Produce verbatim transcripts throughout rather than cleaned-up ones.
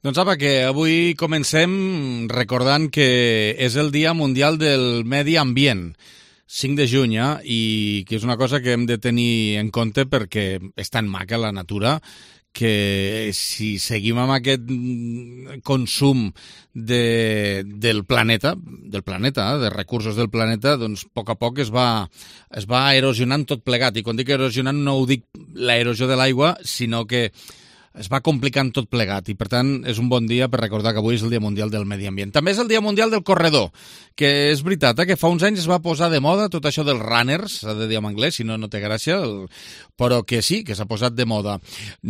Doncs apa, que avui comencem recordant que és el Dia Mundial del Medi Ambient, cinc de juny, eh? I que és una cosa que hem de tenir en compte perquè és tan maca la natura que si seguim amb aquest consum de, del planeta, del planeta, eh? de recursos del planeta, doncs a poc a poc es va, es va erosionant tot plegat. I quan dic erosionant no ho dic l'erosió de l'aigua, sinó que es va complicant tot plegat i, per tant, és un bon dia per recordar que avui és el Dia Mundial del Medi Ambient. També és el Dia Mundial del Corredor, que és veritat, eh, que fa uns anys es va posar de moda tot això dels runners, s'ha de dir en anglès, si no, no té gràcia, el... però que sí, que s'ha posat de moda.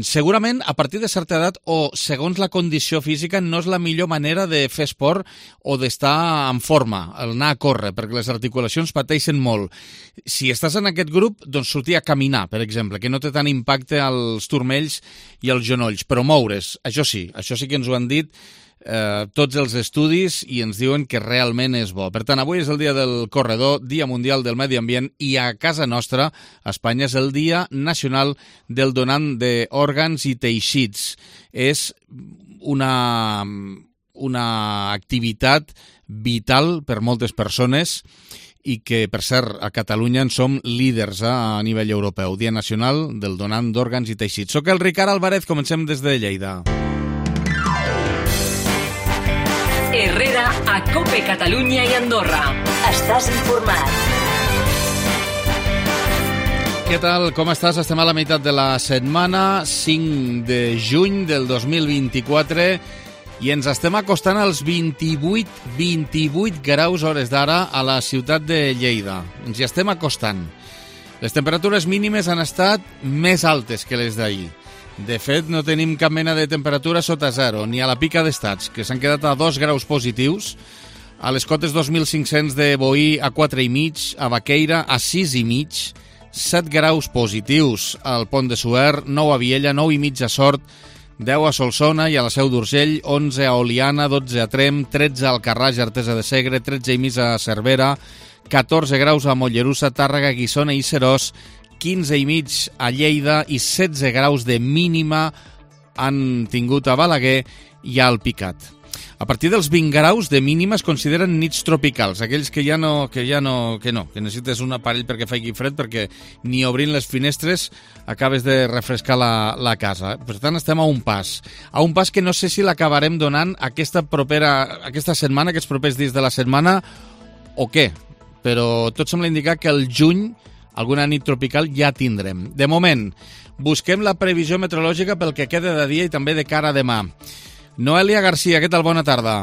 Segurament, a partir de certa edat o segons la condició física, no és la millor manera de fer esport o d'estar en forma, anar a córrer, perquè les articulacions pateixen molt. Si estàs en aquest grup, doncs sortir a caminar, per exemple, que no té tant impacte als turmells i als genolls, però moure's, això sí, això sí que ens ho han dit eh, tots els estudis i ens diuen que realment és bo. Per tant, avui és el dia del corredor, Dia Mundial del Medi Ambient, i a casa nostra, a Espanya, és el Dia Nacional del Donant d'Òrgans i Teixits. És una, una activitat vital per moltes persones i que, per cert, a Catalunya en som líders eh, a nivell europeu. Dia Nacional del Donant d'Òrgans i Teixits. Soc el Ricard Álvarez, comencem des de Lleida. Herrera, a COPE Catalunya i Andorra. Estàs informat. Què tal? Com estàs? Estem a la meitat de la setmana, cinc de juny del dos mil vint-i-quatre, i ens estem acostant als vint-i-vuit, vint-i-vuit graus hores d'ara a la ciutat de Lleida. Ens hi estem acostant. Les temperatures mínimes han estat més altes que les d'ahir. De fet, no tenim cap mena de temperatura sota zero, ni a la Pica d'Estats, que s'han quedat a dos graus positius, a les Cotes dos mil cinc-cents de Boí a quatre i mig, a Baqueira a sis i mig, set graus positius al Pont de Suert, nou a Viella, nou i mig a Sort, deu a Solsona i a la Seu d'Urgell, onze a Oliana, dotze a Trem, tretze a Alcarràs i Artesa de Segre, tretze i mig a Cervera, catorze graus a Mollerussa, Tàrrega, Guissona i Seròs, quinze i mig a Lleida i setze graus de mínima han tingut a Balaguer i a Alpicat. A partir dels vint graus de mínima es consideren nits tropicals, aquells que ja no, que ja no, que no, que necessites un aparell perquè faci fred, perquè ni obrint les finestres acabes de refrescar la, la casa. Per tant, estem a un pas. A un pas que no sé si l'acabarem donant aquesta propera, aquesta setmana, aquests propers dies de la setmana, o què, però tot sembla indicar que el juny alguna nit tropical ja tindrem. De moment, busquem la previsió meteorològica pel que queda de dia i també de cara a demà. Noelia Garcia, què tal? Bona tarda.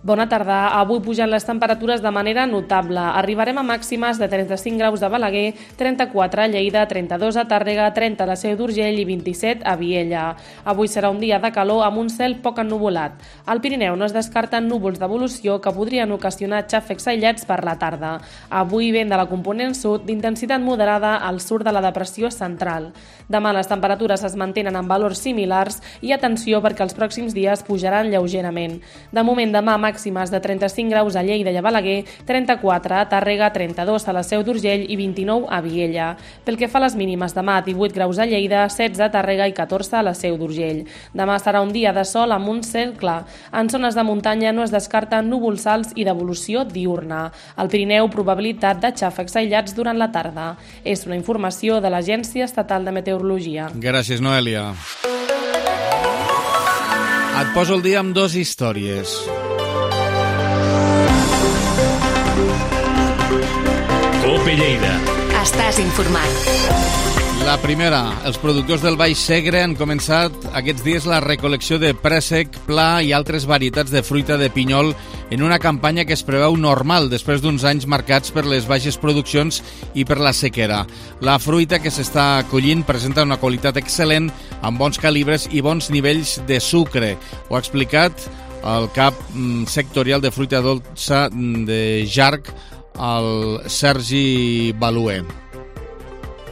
Bona tarda. Avui pugen les temperatures de manera notable. Arribarem a màximes de trenta-cinc graus a Balaguer, trenta-quatre a Lleida, trenta-dos a Tàrrega, trenta a la Seu d'Urgell i vint-i-set a Viella. Avui serà un dia de calor amb un cel poc ennuvolat. Al Pirineu no es descarten núvols d'evolució que podrien ocasionar xàfecs aïllats per la tarda. Avui vent de la component sud d'intensitat moderada al sud de la depressió central. Demà les temperatures es mantenen en valors similars i atenció perquè els pròxims dies pujaran lleugerament. De moment demà màximes de trenta-cinc graus a Lleida i a Balaguer, trenta-quatre a Tàrrega, trenta-dos a la Seu d'Urgell i vint-i-nou a Viella. Pel que fa a les mínimes, demà divuit graus a Lleida, setze a Tàrrega i catorze a la Seu d'Urgell. Demà serà un dia de sol amb un cel clar. En zones de muntanya no es descarten núvols alts i d'evolució diurna. Al Pirineu, probabilitat de xàfecs aïllats durant la tarda. És una informació de l'Agència Estatal de Meteorologia. Gràcies, Noelia. Et poso el dia amb dues històries. COPE Lleida. Estàs informat. La primera, els productors del Baix Segre han començat aquests dies la recol·lecció de préssec, pla i altres varietats de fruita de pinyol en una campanya que es preveu normal després d'uns anys marcats per les baixes produccions i per la sequera. La fruita que s'està collint presenta una qualitat excel·lent, amb bons calibres i bons nivells de sucre. Ho ha explicat el cap sectorial de fruita dolça de Jarc, el Sergi Baluer.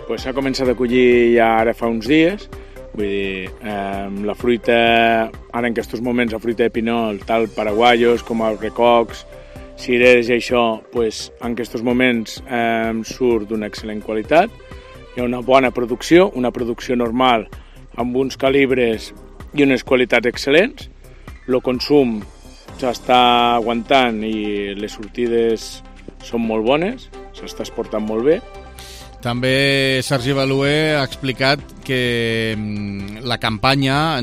Pues s'ha començat a collir ja ara fa uns dies, vull dir, eh, la fruita, ara en aquests moments la fruita de pinol, tal paraguaios com els recocs, cireres i això, pues, en aquests moments eh, surt d'una excel·lent qualitat, hi ha una bona producció, una producció normal amb uns calibres i unes qualitats excel·lents, el consum s'està aguantant i les sortides són molt bones, s'està exportant molt bé. També Sergi Baluer ha explicat que la campanya,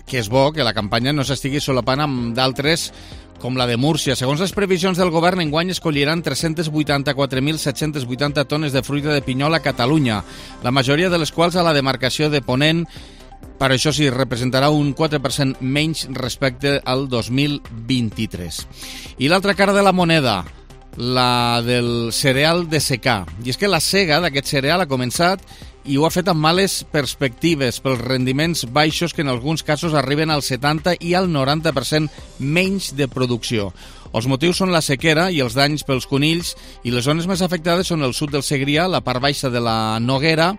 que és bo, que la campanya no s'estigui solapant amb d'altres com la de Múrcia. Segons les previsions del govern, enguany es colliran tres-cents vuitanta-quatre mil set-cents vuitanta tones de fruita de pinyol a Catalunya, la majoria de les quals a la demarcació de Ponent. Per això sí, representarà un quatre per cent menys respecte al dos mil vint-i-tres. I l'altra cara de la moneda, la del cereal de secà. I és que la sega d'aquest cereal ha començat i ho ha fet amb males perspectives pels rendiments baixos que en alguns casos arriben al setanta i al noranta per cent menys de producció. Els motius són la sequera i els danys pels conills i les zones més afectades són el sud del Segrià, la part baixa de la Noguera,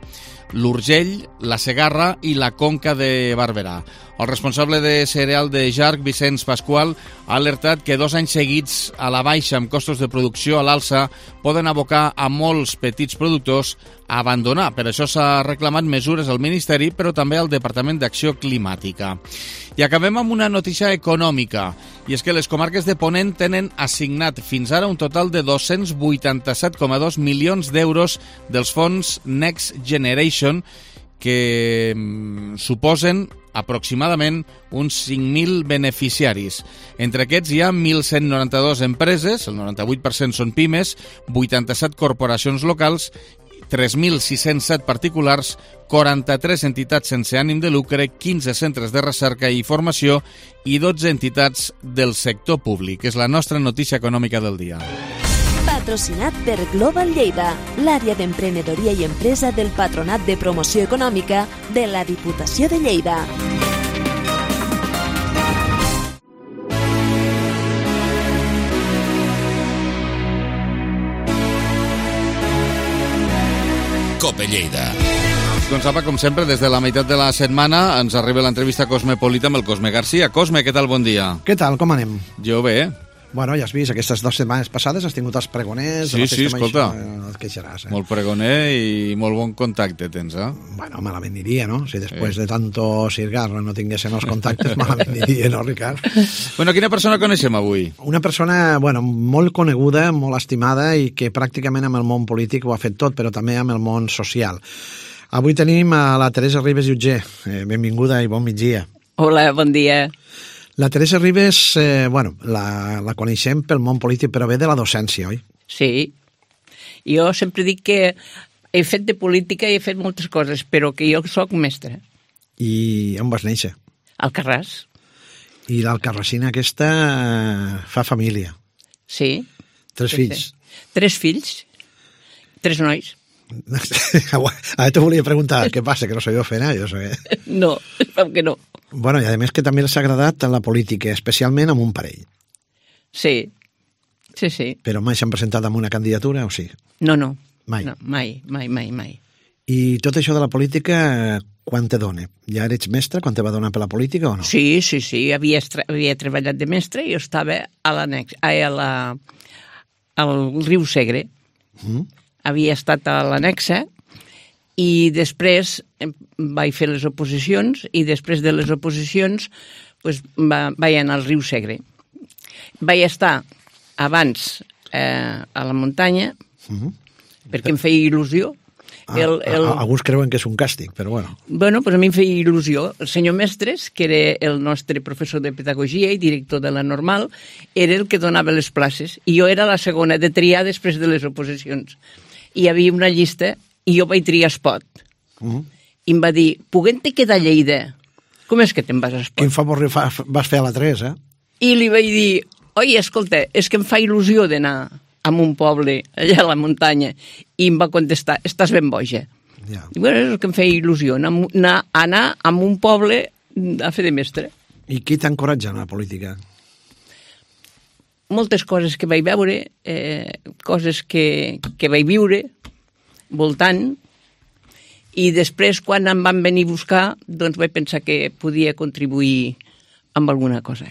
l'Urgell, la Segarra i la Conca de Barberà. El responsable de cereal de Jarc, Vicenç Pasqual, ha alertat que dos anys seguits a la baixa amb costos de producció a l'alça poden abocar a molts petits productors a abandonar. Per això s'ha reclamat mesures al Ministeri, però també al Departament d'Acció Climàtica. I acabem amb una notícia econòmica, i és que les comarques de Ponent tenen assignat fins ara un total de dos-cents vuitanta-set coma dos milions d'euros dels fons Next Generation, que suposen aproximadament uns cinc mil beneficiaris. Entre aquests hi ha mil cent noranta-dues empreses, el noranta-vuit per cent són pimes, vuitanta-set corporacions locals, tres mil sis-cents set particulars, quaranta-tres entitats sense ànim de lucre, quinze centres de recerca i formació i dotze entitats del sector públic. És la nostra notícia econòmica del dia. Patrocinat per Global Lleida, l'àrea d'emprenedoria i empresa del Patronat de Promoció Econòmica de la Diputació de Lleida. Cope Lleida. Doncs apa, com sempre, des de la meitat de la setmana ens arriba l'entrevista Cosmopolita amb el Cosme Garcia. Cosme, què tal? Bon dia. Què tal? Com anem? Jo bé. Bueno, ja has vist, aquestes dues setmanes passades has tingut els pregoners... Sí, sí, escolta. No et queixaràs, eh? Molt pregoner i molt bon contacte tens, eh? Bueno, malament diria, no? Si després sí. de tanto cirgarra no tinguessin els contactes, malament diria, no, Ricard? Bueno, quina persona coneixem avui? Una persona, bueno, molt coneguda, molt estimada i que pràcticament amb el món polític ho ha fet tot, però també amb el món social. Avui tenim a la Teresa Ribes Jutger. Eh, benvinguda i bon migdia. Hola, bon dia. La Teresa Ribes, eh, bueno, la, la coneixem pel món polític, però ve de la docència, oi? Sí. Jo sempre dic que he fet de política i he fet moltes coses, però que jo soc mestre. I on vas néixer? Al Carràs. I l'alcarrassina aquesta fa família. Sí. Tres sí, fills. Sí. Tres fills. Tres nois. Ara te volia preguntar què passa, que no sabia fer, eh? Jo sé. No, que no. Bueno, i a més que també els ha agradat la política, especialment amb un parell. Sí, sí, sí. Però mai s'han presentat amb una candidatura, o sí? No, no. Mai? No, mai, mai, mai, mai. I tot això de la política, quan te dona? Ja eres mestre, quan te va donar per la política o no? Sí, sí, sí. Havia, havia treballat de mestre i jo estava a l'annex, a la, al riu Segre. Mm. Havia estat a l'annexa i després vaig fer les oposicions i després de les oposicions pues, va, vaig anar al riu Segre. Vaig estar abans eh, a la muntanya uh-huh. perquè em feia il·lusió. Ah, el, el... Alguns creuen que és un càstig, però bueno. Bueno, pues a mi em feia il·lusió. El senyor Mestres, que era el nostre professor de pedagogia i director de la normal, era el que donava les places i jo era la segona de triar després de les oposicions. I hi havia una llista i jo vaig triar Espot. Uh-huh. I em va dir, puguem-te quedar a Lleida? Com és que te'n vas a Espot? Quin favor vas fer a la tres, eh? I li vaig dir, oi, escolta, és que em fa il·lusió d'anar a un poble, allà a la muntanya. I em va contestar, estàs ben boja. Yeah. I bueno, és el que em feia il·lusió, anar, anar a un poble a fer de mestre. I qui t'encoratja en la política? Moltes coses que vaig veure, eh, coses que, que vaig viure, voltant, i després, quan em van venir a buscar, doncs vaig pensar que podia contribuir amb alguna cosa.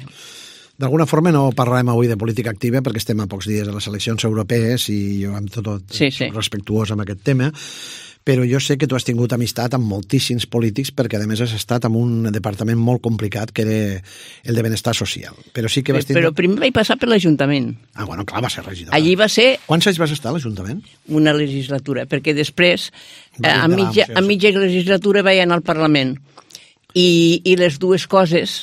D'alguna forma no parlarem avui de política activa perquè estem a pocs dies de les eleccions europees i jo amb tot, tot sí, sí. soc respectuós amb aquest tema, però jo sé que tu has tingut amistat amb moltíssims polítics perquè a més has estat en un departament molt complicat que era el de benestar social. Però sí que vas tindre... Però primer vaig passar per l'Ajuntament. Ah, bueno, clar, va ser regidora. Allí va ser... Quants anys vas estar a l'Ajuntament? Una legislatura, perquè després, Va a mitja, a mitja legislatura vaig anar al Parlament i, i les dues coses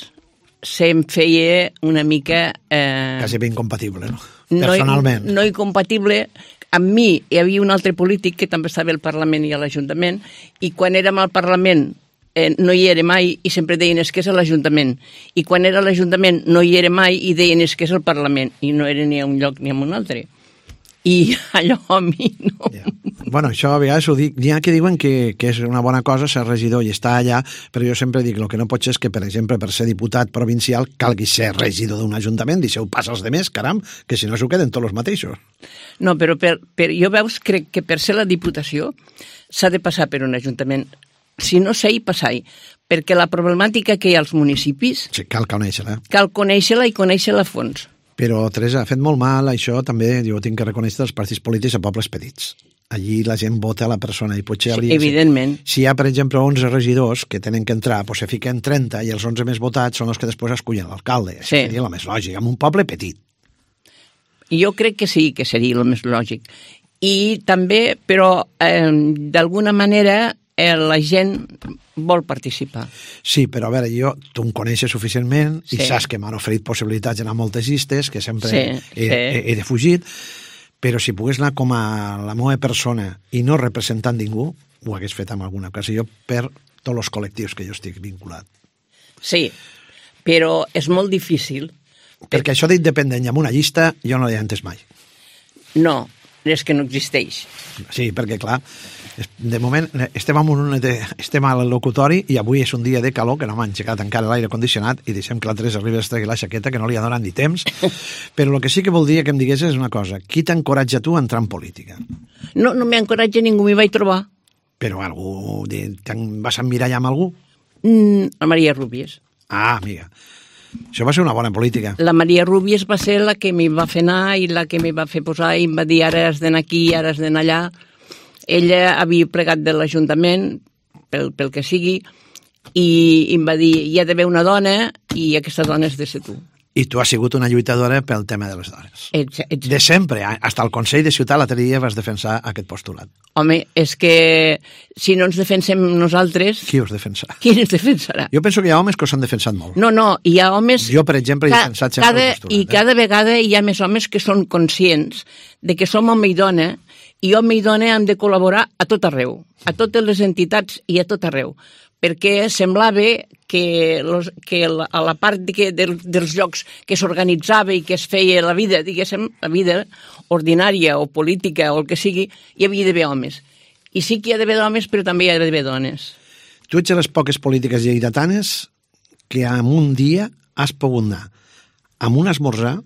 se'm feia una mica... Eh, Quasi ben incompatible, no? Personalment. No, no incompatible. Amb mi hi havia un altre polític que també estava al Parlament i a l'Ajuntament, i quan érem al Parlament eh, no hi era mai i sempre deien és que és a l'Ajuntament. I quan era a l'Ajuntament no hi era mai i deien és que és al Parlament. I no era ni a un lloc ni a un altre. I allò a mi no... Yeah. Bueno, això a vegades ho dic, n'hi ha que diuen que, que és una bona cosa ser regidor i estar allà, però jo sempre dic, el que no pot ser és que, per exemple, per ser diputat provincial calgui ser regidor d'un ajuntament, deixeu pas als demés, caram, que si no s'ho queden tots els mateixos. No, però per, per, jo veus, crec que per ser la Diputació s'ha de passar per un ajuntament. Si no sé, hi passar-hi, perquè la problemàtica que hi ha als municipis... Sí, cal conèixer-la. Cal conèixer-la i conèixer-la a fons. Però, Teresa, ha fet molt mal això, també, jo tinc que reconèixer els partits polítics a pobles petits. Allí la gent vota a la persona i potser hauria... Sí, evidentment. Si hi ha, per exemple, onze regidors que tenen que entrar, doncs se fiquen trenta i els onze més votats són els que després escullen l'alcalde. Això sí. Seria la més lògica, en un poble petit. Jo crec que sí, que seria el més lògic. I també, però, eh, d'alguna manera, eh, la gent vol participar. Sí, però a veure, jo, tu em coneixes suficientment sí. i saps que m'han oferit possibilitats d'anar a moltes llistes, que sempre sí, he, sí. he, he defugit, però si pogués anar com a la meva persona i no representant ningú, ho hagués fet en alguna ocasió per tots els col·lectius que jo estic vinculat. Sí, però és molt difícil. Perquè això d'independent amb una llista jo no l'he entès mai. No, és que no existeix. Sí, perquè clar, de moment estem, en un, estem al locutori i avui és un dia de calor que no m'ha engegat encara l'aire condicionat i deixem que la Teresa Ribas tregui la jaqueta que no li ha donat ni temps, però el que sí que voldria que em digués és una cosa, qui t'encoratja tu a entrar en política? No, no m'encoratja ningú, m'hi vaig trobar. Però algú, vas emmirallar amb algú? Mm, la Maria Rúbies. Ah, amiga, això va ser una bona política. La Maria Rúbies va ser la que m'hi va fer anar i la que m'hi va fer posar i em va dir ara has d'anar aquí, ara has d'anar allà. Ella havia plegat de l'Ajuntament, pel, pel que sigui, i em va dir, hi ha d'haver una dona i aquesta dona és de ser tu. I tu has sigut una lluitadora pel tema de les dones. Ets, ets... De sempre, fins al Consell de Ciutat l'altre dia vas defensar aquest postulat. Home, és que si no ens defensem nosaltres... Qui us defensarà? Qui ens defensarà? Jo penso que hi ha homes que us han defensat molt. No, no, hi ha homes... Jo, per exemple, he defensat sempre cada, el postulat. I eh? cada vegada hi ha més homes que són conscients de que som home i dona i home i dona hem de col·laborar a tot arreu, a totes les entitats i a tot arreu, perquè semblava que, los, que la, a la part de que, de, dels llocs que s'organitzava i que es feia la vida, diguéssim, la vida ordinària o política o el que sigui, hi havia d'haver homes. I sí que hi ha d'haver homes, però també hi ha d'haver dones. Tu ets de les poques polítiques lleidatanes que en un dia has pogut anar amb un esmorzar,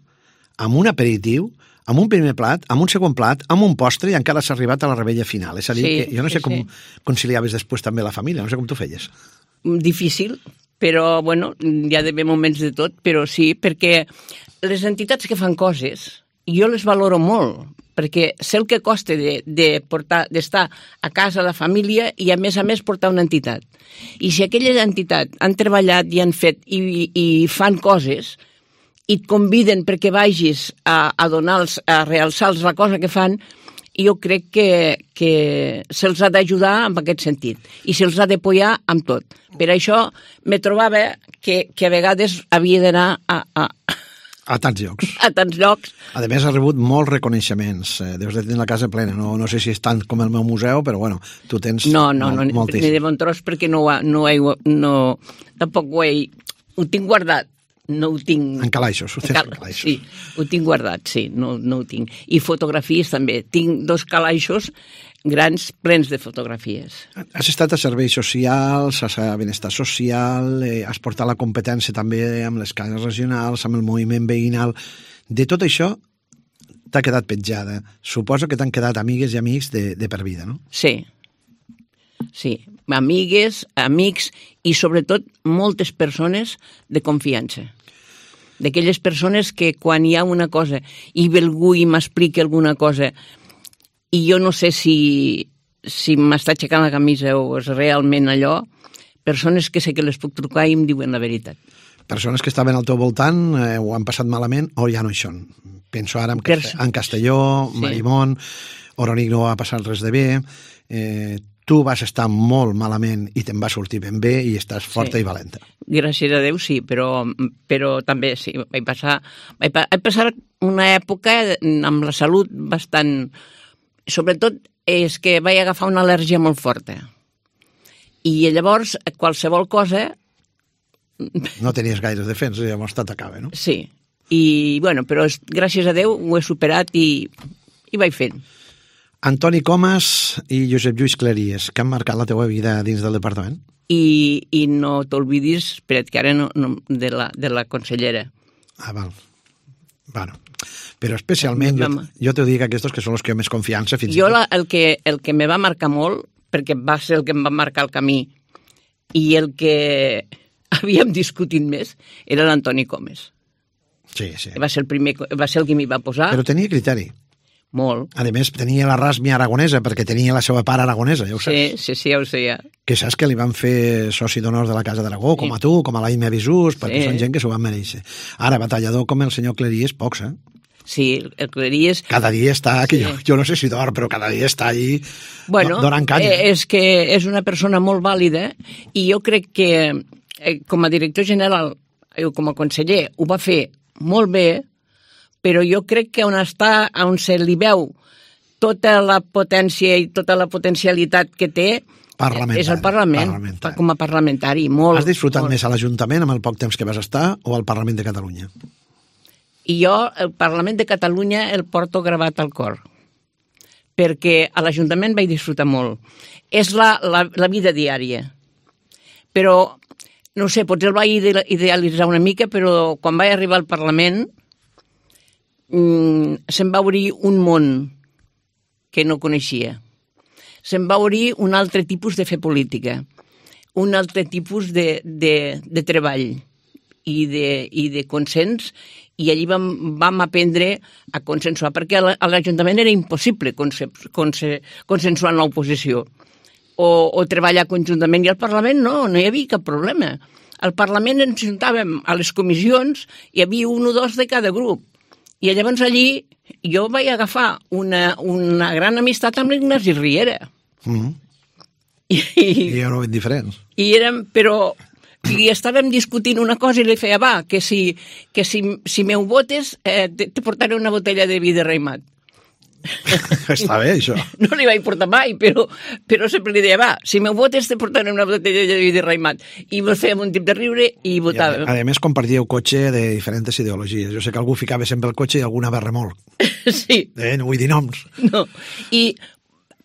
amb un aperitiu, amb un primer plat, amb un segon plat, amb un postre i encara s'ha arribat a la rebella final. És a dir, sí, que jo no sé sí, com sí. conciliaves després també la família, no sé com tu feies. Difícil, però, bueno, hi ha d'haver moments de tot, però sí, perquè les entitats que fan coses, jo les valoro molt, perquè sé el que costa de, de portar, d'estar a casa la família i, a més a més, portar una entitat. I si aquella entitat han treballat i han fet i, i fan coses i et conviden perquè vagis a, a donar-los, a realçar-los la cosa que fan, jo crec que, que se'ls ha d'ajudar en aquest sentit i se'ls ha d'apoyar amb tot. Per això me trobava que, que a vegades havia d'anar a, a, a tants llocs. A tants llocs. A més, ha rebut molts reconeixements. Deus de tenir la casa plena. No, no sé si és tant com el meu museu, però bueno, tu tens no, no, molt, no, moltíssim. Ni de bon tros perquè no, no, he, no tampoc ho he... Ho tinc guardat. No ho tinc... En calaixos, ho tens en calaixos. Sí, ho tinc guardat, sí, no, no ho tinc. I fotografies també. Tinc dos calaixos grans plens de fotografies. Has estat a serveis socials, a benestar social, eh, has portat la competència també amb les cases regionals, amb el moviment veïnal. De tot això t'ha quedat petjada. Suposo que t'han quedat amigues i amics de, de per vida, no? Sí, sí. Amigues, amics i sobretot moltes persones de confiança. D'aquelles persones que quan hi ha una cosa i ve algú i m'explica alguna cosa i jo no sé si si m'està aixecant la camisa o és realment allò, persones que sé que les puc trucar i em diuen la veritat. Persones que estaven al teu voltant eh, ho han passat malament o ja no hi són. Penso ara en, Cast en Castelló, sí. Marimón, Oronic no va passar res de bé, eh, tu vas estar molt malament i te'n va sortir ben bé i estàs forta sí. i valenta. Gràcies a Déu sí, però, però també sí, vaig passar, vaig, vaig passar una època amb la salut bastant... Sobretot és que vaig agafar una al·lèrgia molt forta. I llavors qualsevol cosa... No tenies gaires defenses, llavors t'atacava, no? Sí, i bueno, però gràcies a Déu ho he superat i, i vaig fent. Antoni Comas i Josep Lluís Cleries, que han marcat la teua vida dins del departament? I, i no t'olvidis, espera't, que ara no, no, de, la, de la consellera. Ah, val. Bueno, però especialment, jo, jo t'ho dic aquests que són els que jo més confiança fins jo i tot. La, el, que, el que me va marcar molt, perquè va ser el que em va marcar el camí, i el que havíem discutit més, era l'Antoni Comas. Sí, sí. Va ser el primer, va ser el que m'hi va posar. Però tenia criteri. Molt. A més, tenia la rasmia aragonesa, perquè tenia la seva part aragonesa, ja ho saps. Sí, sí, sí, ja ho sé, ja. Que saps que li van fer soci d'honor de la Casa d'Aragó, com a tu, com a l'Aime Bisús, perquè sí. són gent que s'ho van mereixer. Ara, batallador com el senyor Cleries, pocs, eh? Sí, el Cleries... Cada dia està, que sí. jo, jo no sé si dorm, però cada dia està allí bueno, donant canya. Eh, és que és una persona molt vàlida i jo crec que eh, com a director general, eh, com a conseller, ho va fer molt bé, però jo crec que on està, on se li veu tota la potència i tota la potencialitat que té és el Parlament, com a parlamentari. Molt, Has disfrutat molt. més a l'Ajuntament amb el poc temps que vas estar o al Parlament de Catalunya? I jo el Parlament de Catalunya el porto gravat al cor, perquè a l'Ajuntament vaig disfrutar molt. És la, la, la vida diària. Però, no sé, potser el vaig idealitzar una mica, però quan vaig arribar al Parlament mmm, se'm va obrir un món que no coneixia. Se'm va obrir un altre tipus de fer política, un altre tipus de, de, de treball i de, i de consens, i allí vam, vam aprendre a consensuar, perquè a l'Ajuntament era impossible conse, conse, consensuar en l'oposició o, o treballar conjuntament, i al Parlament no, no hi havia cap problema. Al Parlament ens juntàvem a les comissions, hi havia un o dos de cada grup, i llavors allí jo vaig agafar una, una gran amistat amb l'Ignasi Riera. Mm-hmm. I, I éreu ben diferents. I érem, però... I estàvem discutint una cosa i li feia, va, que si, que si, si m'ho votes eh, te, te portaré una botella de vi de raïmat. Està bé, això. No li vaig portar mai, però, però sempre li deia, va, si m'ho votes te portaré una botella de vi de raïmat. I ens fèiem un tip de riure i votàvem. I a, a més, compartíeu cotxe de diferents ideologies. Jo sé que algú ficava sempre el cotxe i algú anava a remolc. Sí. Eh, no vull dir noms. No, I,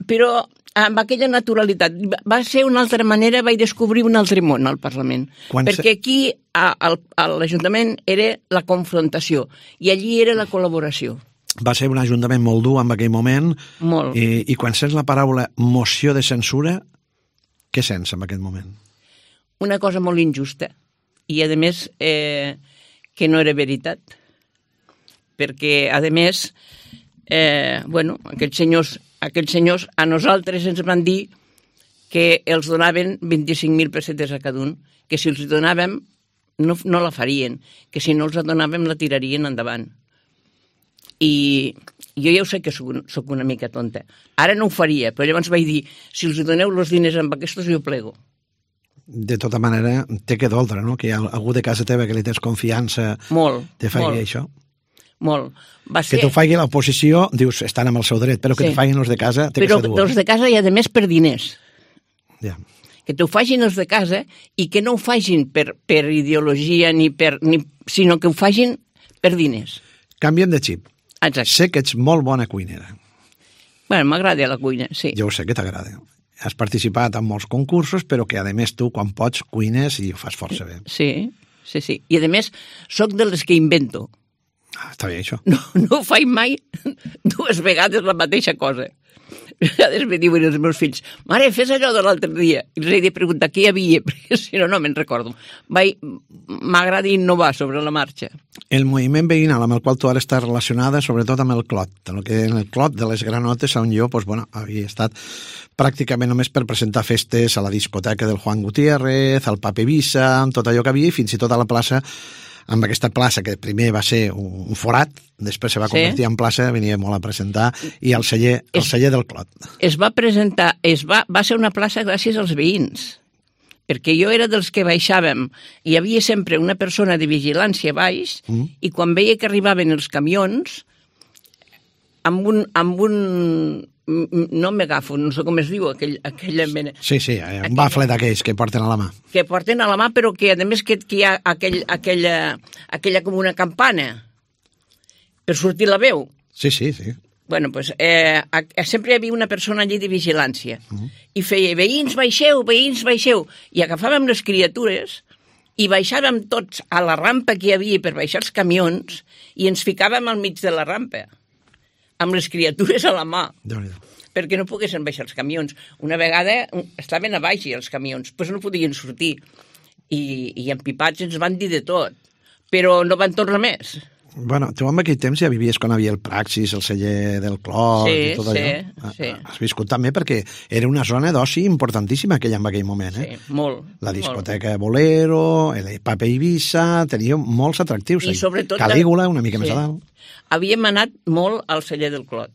però amb aquella naturalitat. Va ser una altra manera, vaig descobrir un altre món al Parlament. Quan perquè aquí, a, a, a l'Ajuntament, era la confrontació i allí era la col·laboració. Va ser un ajuntament molt dur en aquell moment. Molt. I, i quan sents la paraula moció de censura, què sents en aquest moment? Una cosa molt injusta. I, a més, eh, que no era veritat. Perquè, a més, eh, bueno, aquests senyors, aquests senyors a nosaltres ens van dir que els donaven vint-i-cinc mil pessetes a cada un, que si els donàvem no, no la farien, que si no els donàvem la tirarien endavant. I jo ja ho sé que soc, soc una mica tonta. Ara no ho faria, però llavors vaig dir, si els doneu els diners amb aquests, jo plego. De tota manera, té que doldre, no? Que hi ha algú de casa teva que li tens confiança molt, te faci molt. això. Molt. Va ser... Que t'ho faci l'oposició, dius, estan amb el seu dret, però que sí. Te facin els de casa té però que ser dur. Però els de casa i, a més, per diners. Ja. Que t'ho facin els de casa i que no ho facin per, per ideologia, ni per, ni, sinó que ho facin per diners. Canviem de xip. Exacte. Sé que ets molt bona cuinera. Bueno, m'agrada la cuina, sí. Jo ho sé que t'agrada. Has participat en molts concursos, però que, a més, tu, quan pots, cuines i ho fas força bé. Sí, sí, sí. I, a més, soc de les que invento. Ah, està bé, això. No, no faig mai dues vegades la mateixa cosa. A vegades me diuen els meus fills, mare, fes allò de l'altre dia. I els he de preguntar què hi havia, perquè si no, no me'n recordo. M'agrada innovar sobre la marxa. El moviment veïnal amb el qual tu ara estàs relacionada, sobretot amb el Clot. El que en el Clot de les Granotes, on jo pues, bueno, havia estat pràcticament només per presentar festes a la discoteca del Juan Gutiérrez, al Pape Visa, amb tot allò que havia, i fins i tot a la plaça, amb aquesta plaça que primer va ser un forat, després se va convertir sí. en plaça, venia molt a presentar, i al celler, el es, celler del Clot. Es va presentar, es va, va ser una plaça gràcies als veïns, perquè jo era dels que baixàvem, i hi havia sempre una persona de vigilància baix, mm. i quan veia que arribaven els camions, amb un... Amb un no m'agafo, no sé com es diu, aquell, aquella mena... Sí, sí, un aquell, bafle d'aquells que porten a la mà. Que porten a la mà, però que, a més, que, que hi ha aquell, aquella, aquella com una campana per sortir la veu. Sí, sí, sí. Bueno, doncs, eh, sempre hi havia una persona allí de vigilància. Uh-huh. I feia, veïns, baixeu, veïns, baixeu. I agafàvem les criatures i baixàvem tots a la rampa que hi havia per baixar els camions i ens ficàvem al mig de la rampa, amb les criatures a la mà, perquè no poguessin baixar els camions. Una vegada estaven a baix els camions, doncs no podien sortir. I, i empipats ens van dir de tot, però no van tornar més. Bueno, tu en aquell temps ja vivies quan havia el Praxis, el celler del Clot sí, i tot sí, allò. Sí. Has viscut també perquè era una zona d'oci importantíssima aquella en aquell moment, eh? Sí, molt. La discoteca molt. Bolero, el Pape Ibiza, tenia molts atractius. I sobretot... Calígula, una mica sí. més a dalt. Havíem anat molt al celler del Clot.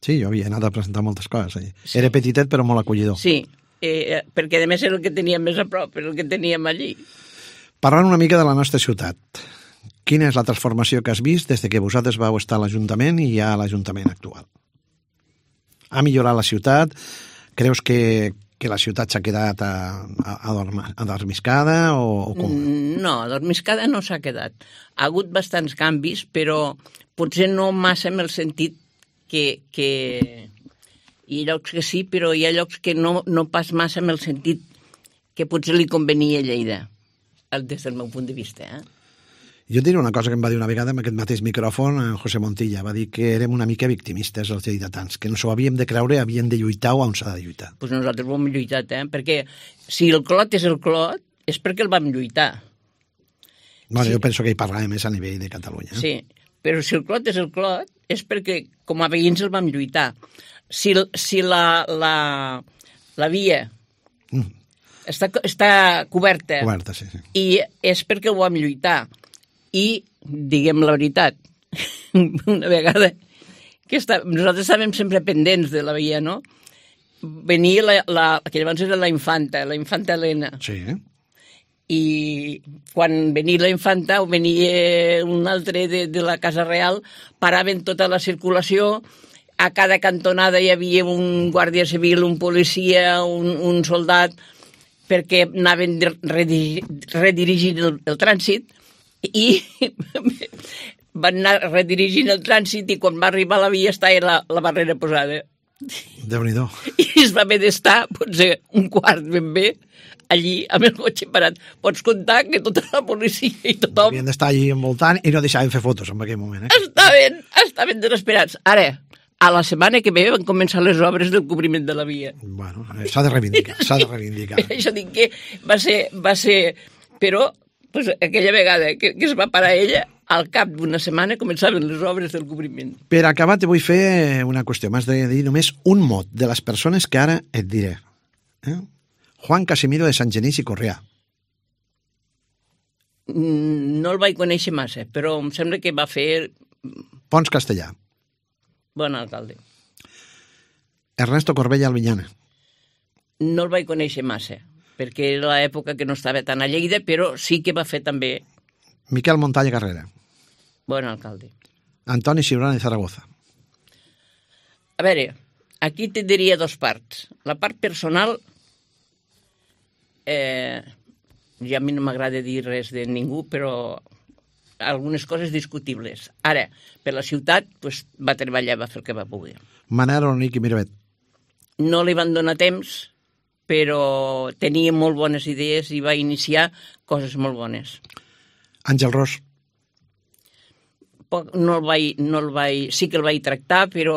Sí, jo havia anat a presentar moltes coses allà. Sí. Era petitet però molt acollidor. Sí, eh, perquè a més era el que teníem més a prop, era el que teníem allí. Parlant una mica de la nostra ciutat, quina és la transformació que has vist des que vosaltres vau estar a l'Ajuntament i ja a l'Ajuntament actual? Ha millorat la ciutat? Creus que, que la ciutat s'ha quedat adormiscada o, o com? No, adormiscada no s'ha quedat. Ha hagut bastants canvis, però potser no massa en el sentit que... que... Hi ha llocs que sí, però hi ha llocs que no, no pas massa en el sentit que potser li convenia a Lleida, des del meu punt de vista, eh? Jo et diré una cosa que em va dir una vegada amb aquest mateix micròfon, en José Montilla, va dir que érem una mica victimistes els lleidatans, que no s'ho havíem de creure, havíem de lluitar o on s'ha de lluitar. Doncs pues nosaltres ho hem lluitat, eh? Perquè si el Clot és el Clot, és perquè el vam lluitar. Bueno, sí. Jo penso que hi parlàvem més a nivell de Catalunya. Eh? Sí, però si el Clot és el Clot, és perquè com a veïns el vam lluitar. Si, si la, la, la via mm. està, està coberta, coberta sí, sí. i és perquè ho vam lluitar. I, diguem la veritat, una vegada que està, nosaltres estàvem sempre pendents de la via, no? Venia la, la, que llavors era la infanta, la infanta Helena. Sí. I quan venia la infanta o venia un altre de, de la Casa Real, paraven tota la circulació, a cada cantonada hi havia un guàrdia civil, un policia, un, un soldat, perquè anaven redirigint el, el trànsit, i van anar redirigint el trànsit i quan va arribar a la via estava la, la barrera posada. Déu-n'hi-do. I es va haver d'estar potser un quart ben bé allí amb el cotxe parat. Pots comptar que tota la policia i tothom... Havien d'estar allí envoltant i no deixaven fer fotos en aquell moment. Eh? Estaven, estaven desesperats. Ara, a la setmana que ve van començar les obres del cobriment de la via. Bueno, s'ha de reivindicar, s'ha de reivindicar. Això dic que va ser... Va ser... Però... Pues aquella vegada que, que es va parar ella, al cap d'una setmana començaven les obres del cobriment. Per acabar, te vull fer una qüestió. M'has de dir només un mot de les persones que ara et diré. Eh? Juan Casimiro de Sant Genís i Correà. No el vaig conèixer massa, però em sembla que va fer... Pons Castellà. Bon alcalde. Ernesto Corbella Albinyana. No el vaig conèixer massa, perquè era l'època que no estava tan a Lleida, però sí que va fer també... Miquel Montalla Carrera. Bon alcalde. Antoni Ciurana de Zaragoza. A veure, aquí te diria dos parts. La part personal, eh, ja a mi no m'agrada dir res de ningú, però algunes coses discutibles. Ara, per la ciutat, pues, va treballar, va fer el que va poder. Manel Ornic i Miravet. No li van donar temps, però tenia molt bones idees i va iniciar coses molt bones. Àngel Ros. Poc, no el vaig, no el vaig, sí que el vaig tractar, però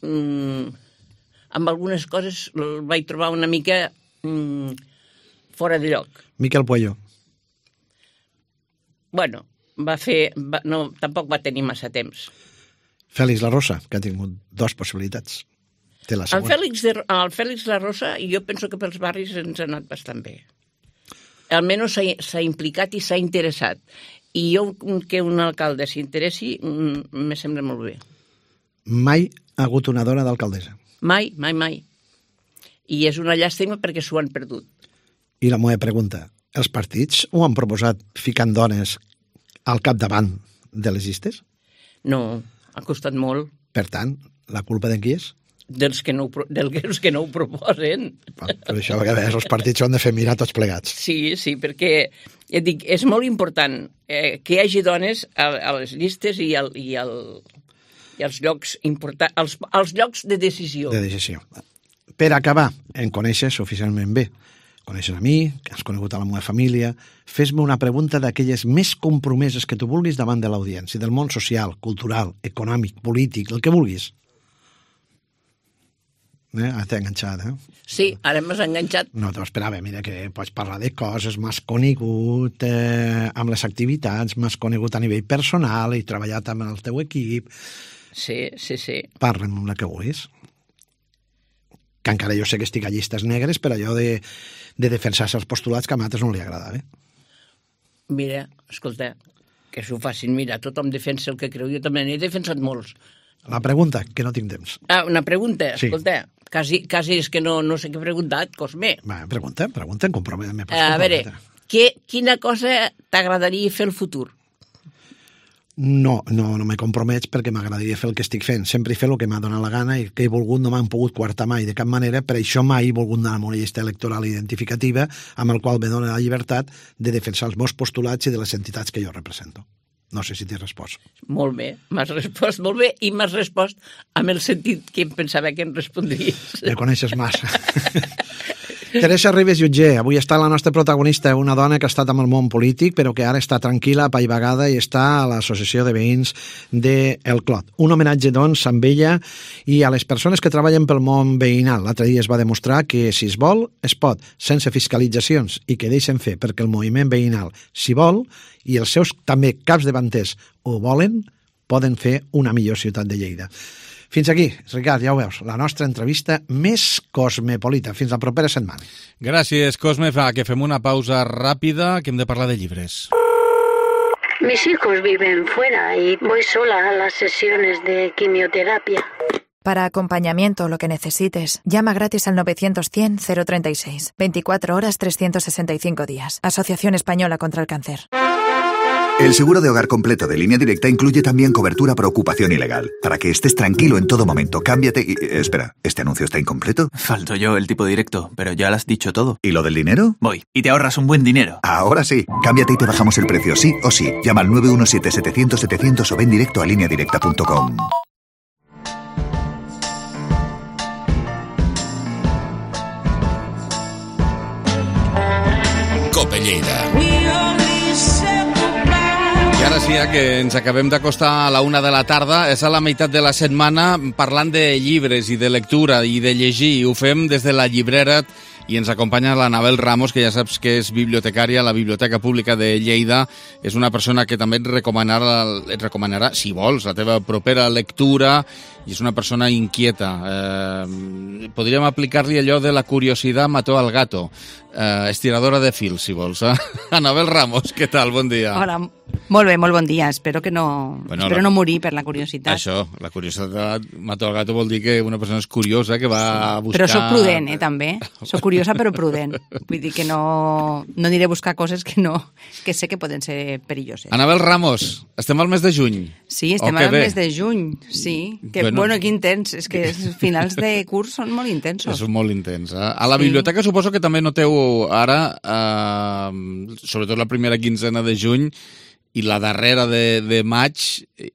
mm, amb algunes coses el vaig trobar una mica mm, fora de lloc. Miquel Puello. Bueno, va fer... Va, no, tampoc va tenir massa temps. Fèlix La Rosa, que ha tingut dues possibilitats. Té la El següent. Fèlix, de, el Fèlix La Rosa, jo penso que pels barris ens ha anat bastant bé. Almenys s'ha implicat i s'ha interessat. I jo, que un alcalde s'interessi, me sembla molt bé. Mai ha hagut una dona d'alcaldessa. Mai, mai, mai. I és una llàstima perquè s'ho han perdut. I la meva pregunta, els partits ho han proposat ficant dones al capdavant de les llistes? No, ha costat molt. Per tant, la culpa de qui és? Dels que no, ho- dels que no ho proposen. Per això a vegades els partits ho han de fer mirar tots plegats. Sí, sí, perquè ja et dic, és molt important eh, que hi hagi dones a, a les llistes i, al, i, al, i als llocs importants, als, als llocs de decisió. De decisió. Per acabar, em coneixes suficientment bé. Coneixes a mi, que has conegut a la meva família. Fes-me una pregunta d'aquelles més compromeses que tu vulguis davant de l'audiència, del món social, cultural, econòmic, polític, el que vulguis. Eh? Ah, t'he enganxat, eh? Sí, ara m'has enganxat. No t'ho esperava, mira, que pots parlar de coses, m'has conegut eh, amb les activitats, m'has conegut a nivell personal, he treballat amb el teu equip. Sí, sí, sí. Parla'm el que vulguis. Que encara jo sé que estic a llistes negres, però allò de, de defensar-se els postulats que a altres no li agradava. Mira, escolta, que s'ho facin. Mira, tothom defensa el que creu. Jo també n'he defensat molts. La pregunta, que no tinc temps. Ah, una pregunta, Sí. escolta. Quasi, quasi és que no, no sé què he preguntat, Cosme. Va, pregunta, pregunta, em compromet. Me pots A veure, comprometre. que, quina cosa t'agradaria fer al futur? No, no, no me compromets perquè m'agradaria fer el que estic fent. Sempre he fet el que m'ha donat la gana i que he volgut no m'han pogut coartar mai de cap manera, per això mai he volgut anar amb una llista electoral identificativa amb el qual me dona la llibertat de defensar els meus postulats i de les entitats que jo represento. No sé si t'he respost. Molt bé, m'has respost molt bé i m'has respost amb el sentit que em pensava que em respondries. Me coneixes massa. Teresa Ribes Jutger, avui està la nostra protagonista, una dona que ha estat amb el món polític, però que ara està tranquil·la, apaivagada, i està a l'Associació de Veïns de El Clot. Un homenatge, doncs, amb ella i a les persones que treballen pel món veïnal. L'altre dia es va demostrar que, si es vol, es pot, sense fiscalitzacions, i que deixen fer, perquè el moviment veïnal, si vol, i els seus també caps davanters ho volen, poden fer una millor ciutat de Lleida. Fins aquí, Ricard, ja ho veus, la nostra entrevista més cosmopolita. Fins la propera setmana. Gràcies, Cosme. Fa que fem una pausa ràpida, que hem de parlar de llibres. Mis hijos viven fuera y voy sola a las sesiones de quimioterapia. Para acompañamiento o lo que necesites, llama gratis al novecientos cien cero treinta y seis. veinticuatro horas, trescientos sesenta y cinco días. Asociación Española contra el Cáncer. El seguro de hogar completo de Línea Directa incluye también cobertura por ocupación ilegal. Para que estés tranquilo en todo momento, cámbiate y... Espera, ¿este anuncio está incompleto? Falto yo el tipo directo, pero ya lo has dicho todo. ¿Y lo del dinero? Voy, y te ahorras un buen dinero. Ahora sí. Cámbiate y te bajamos el precio, sí o sí. Llama al nueve uno siete setecientos setecientos o ven directo a línea directa punto com. Cope Lleida. I ara sí, que ens acabem d'acostar a la una de la tarda, és a la meitat de la setmana parlant de llibres i de lectura i de llegir. Ho fem des de la llibrera i ens acompanya l'Anabel Ramos, que ja saps que és bibliotecària a la Biblioteca Pública de Lleida. És una persona que també et recomanarà, et recomanarà, si vols, la teva propera lectura, i és una persona inquieta. Eh, podríem aplicar-li allò de la curiositat mató al gato. Eh, estiradora de fil, si vols. Eh? Anabel Ramos, què tal? Bon dia. Hola, molt bé, molt bon dia. Espero que no, Bueno, espero la- no morir per la curiositat. Això, la curiositat mató al gato vol dir que una persona és curiosa, que va a buscar... Però sóc prudent, eh, també. Sóc curiosa però prudent. Vull dir que no, no aniré a buscar coses que, no, que sé que poden ser perilloses. Anabel Ramos, estem al mes de juny. Sí, estem Oh, que al bé. mes de juny, sí. Que, Bueno. bueno, que intens. És que els finals de curs són molt intensos. És molt intens. Eh? A la Sí. biblioteca suposo que també noteu ara, eh, sobretot la primera quinzena de juny i la darrera de, de maig,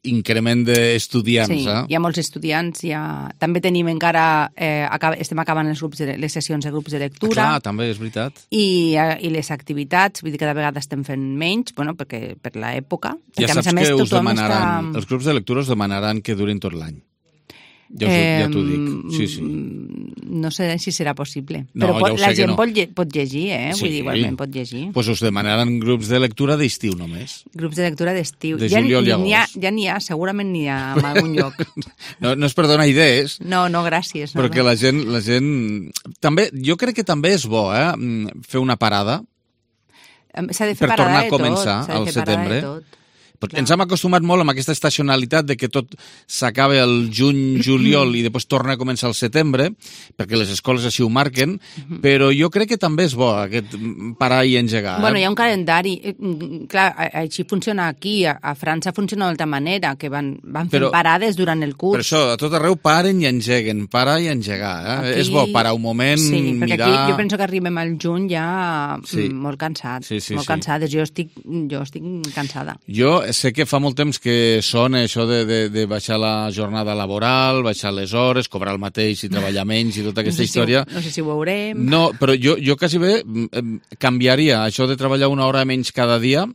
increment d'estudiants. Sí, eh? hi ha molts estudiants. Hi ha... També tenim encara... Eh, acab... Estem acabant els grups de... les sessions de grups de lectura. Clar, també, és veritat. I, eh, i les activitats, vull dir que cada vegada estem fent menys, bueno, perquè per l'època. Ja perquè, a saps més a més, que us tothom demanaran, està... els grups de lectura us demanaran que durin tot l'any. Ja, us, eh, ja t'ho dic, sí, sí. No sé si serà possible. No, però pot, ja la gent no. pot, lle pot llegir, eh? Sí. Vull dir, igualment pot llegir. Doncs pues us demanaran grups de lectura d'estiu només. Grups de lectura d'estiu. De ja juliol i n'hi ha, agost. ja n'hi ha, segurament n'hi ha en algun lloc. No, no és per donar idees. No, no, gràcies. No, perquè no. la gent, la gent... També, jo crec que també és bo, eh? Fer una parada. S'ha de fer per parada tornar de a començar tot. al setembre. Tot. Clar. Ens hem acostumat molt amb aquesta estacionalitat de que tot s'acaba el juny, juliol i després torna a començar el setembre, perquè les escoles així ho marquen, uh-huh. però jo crec que també és bo aquest parar i engegar. Bueno, eh? hi ha un calendari. Clar, així funciona aquí. A, a França funciona d'altra manera, que van, van fent però, parades durant el curs. Per això, a tot arreu paren i engeguen, parar i engegar. Eh? Aquí, és bo parar un moment, sí, perquè mirar... aquí jo penso que arribem al juny ja sí. molt cansats. Sí, sí, molt sí. cansades. Jo estic, jo estic cansada. Jo sé que fa molt temps que sona això de, de, de baixar la jornada laboral, baixar les hores, cobrar el mateix i treballar menys i tota aquesta no sé història. Si, no sé si ho veurem. No, però jo, jo quasi bé canviaria això de treballar una hora menys cada dia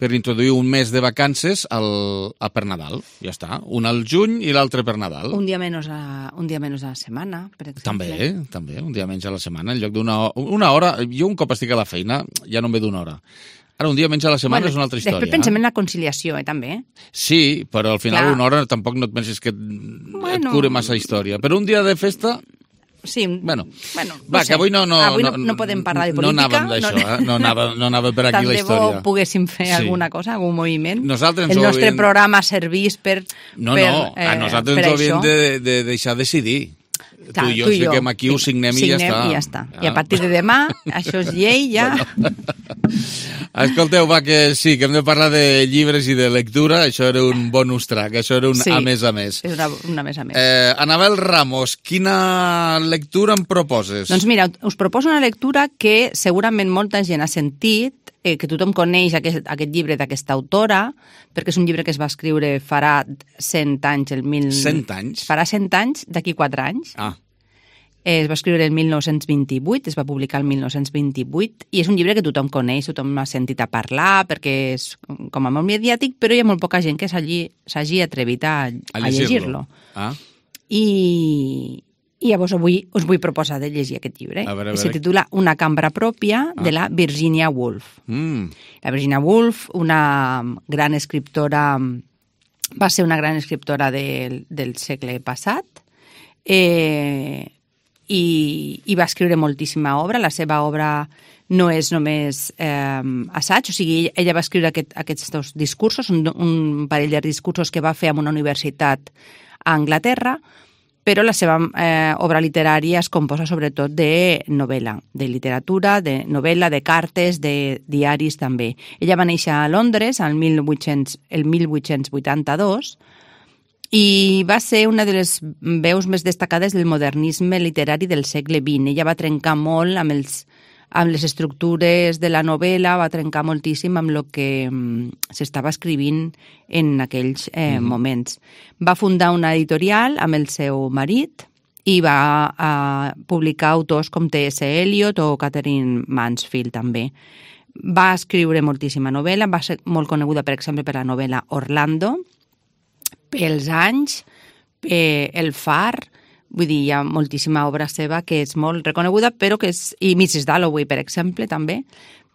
per introduir un mes de vacances al, a per Nadal. Ja està. Un al juny i l'altre per Nadal. Un dia menys a, un dia menys a la setmana, per exemple. També, també. Un dia menys a la setmana. En lloc d'una una hora... Jo un cop estic a la feina ja no em ve d'una hora. Ara, un dia menys a la setmana bueno, és una altra història. Després pensem en la conciliació, eh, també. Sí, però al final Clar. una hora tampoc no et penses que et, bueno. et cure massa història. Però un dia de festa... Sí, bueno, bueno no va, sé. que avui no, no, avui no, no podem parlar de política. No anàvem d'això, no, eh? no, anava, no anava per aquí la història. Tant de bo poguéssim fer sí. alguna cosa, algun moviment. Nosaltres el nostre havien... programa servís per No, per, no, a nosaltres eh, ens ho havíem de, de deixar decidir. Clar, tu i jo ens fiquem aquí, sí. ho signem, signem i ja està. I ja està. Ah. I a partir de demà, això és llei, ja... Bueno. Escolteu, va, que sí, que hem de parlar de llibres i de lectura. Això era un bonus track, això era un sí, a més a més. és una, una més a més. Eh, Anabel Ramos, quina lectura em proposes? Doncs mira, us proposo una lectura que segurament molta gent ha sentit, eh, que tothom coneix aquest, aquest llibre d'aquesta autora, perquè és un llibre que es va escriure farà cent anys. El mil... cent anys? Farà cent anys, d'aquí quatre anys. Ah. Es va escriure el mil nou-cents vint-i-vuit, es va publicar el mil nou-cents vint-i-vuit, i és un llibre que tothom coneix, tothom l'ha sentit a parlar, perquè és com a molt mediàtic, però hi ha molt poca gent que s'hagi atrevit a, a, a llegir-lo. Ah. I, I llavors avui us vull proposar de llegir aquest llibre. A veure, a veure. Se titula Una cambra pròpia, ah. de la Virginia Woolf. Mm. La Virginia Woolf, una gran escriptora, va ser una gran escriptora del, del segle passat, eh, i, i va escriure moltíssima obra. La seva obra no és només eh, assaig, o sigui, ella va escriure aquest, aquests discursos, un, un parell de discursos que va fer en una universitat a Anglaterra, però la seva eh, obra literària es composa sobretot de novel·la, de literatura, de novel·la, de cartes, de diaris també. Ella va néixer a Londres el mil vuit-cents, el mil vuit-cents vuitanta-dos, i va ser una de les veus més destacades del modernisme literari del segle vint. Ella va trencar molt amb, els, amb les estructures de la novel·la, va trencar moltíssim amb el que um, s'estava escrivint en aquells eh, mm-hmm. moments. Va fundar una editorial amb el seu marit i va uh, publicar autors com T S Eliot o Catherine Mansfield també. Va escriure moltíssima novel·la, va ser molt coneguda, per exemple, per la novel·la Orlando, pels anys, eh, El Far, vull dir, hi ha moltíssima obra seva que és molt reconeguda, però que és, i missus Dalloway, per exemple, també,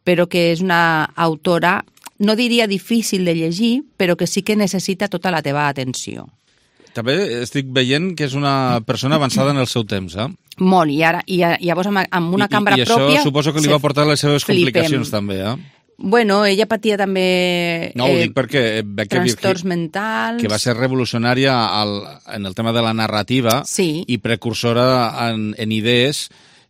però que és una autora, no diria difícil de llegir, però que sí que necessita tota la teva atenció. També estic veient que és una persona avançada en el seu temps, eh? Molt, i ara, i llavors amb, amb una cambra I, i pròpia... I això suposo que li va portar les seves flipem. complicacions també, eh? Bueno, ella patia també no, ho dic perquè veig que trastorns Virgi, mentals... que va ser revolucionària al, en el tema de la narrativa sí. i precursora en, en idees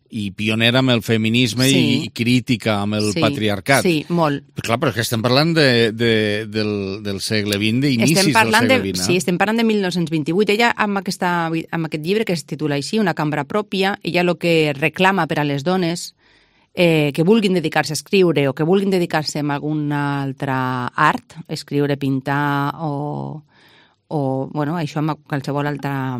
i pionera amb el feminisme sí. i, i crítica amb el sí. patriarcat. Sí, molt. Però clar, però és que estem parlant de, de, del, del segle vint, d'inicis del segle vint. De, sí, estem parlant de mil nou-cents vint-i-vuit. Ella, amb, aquesta, amb aquest llibre que es titula així, Una cambra pròpia, ella el que reclama per a les dones Eh, que vulguin dedicar-se a escriure o que vulguin dedicar-se a alguna altra art, escriure, pintar o, o bueno, això amb qualsevol altra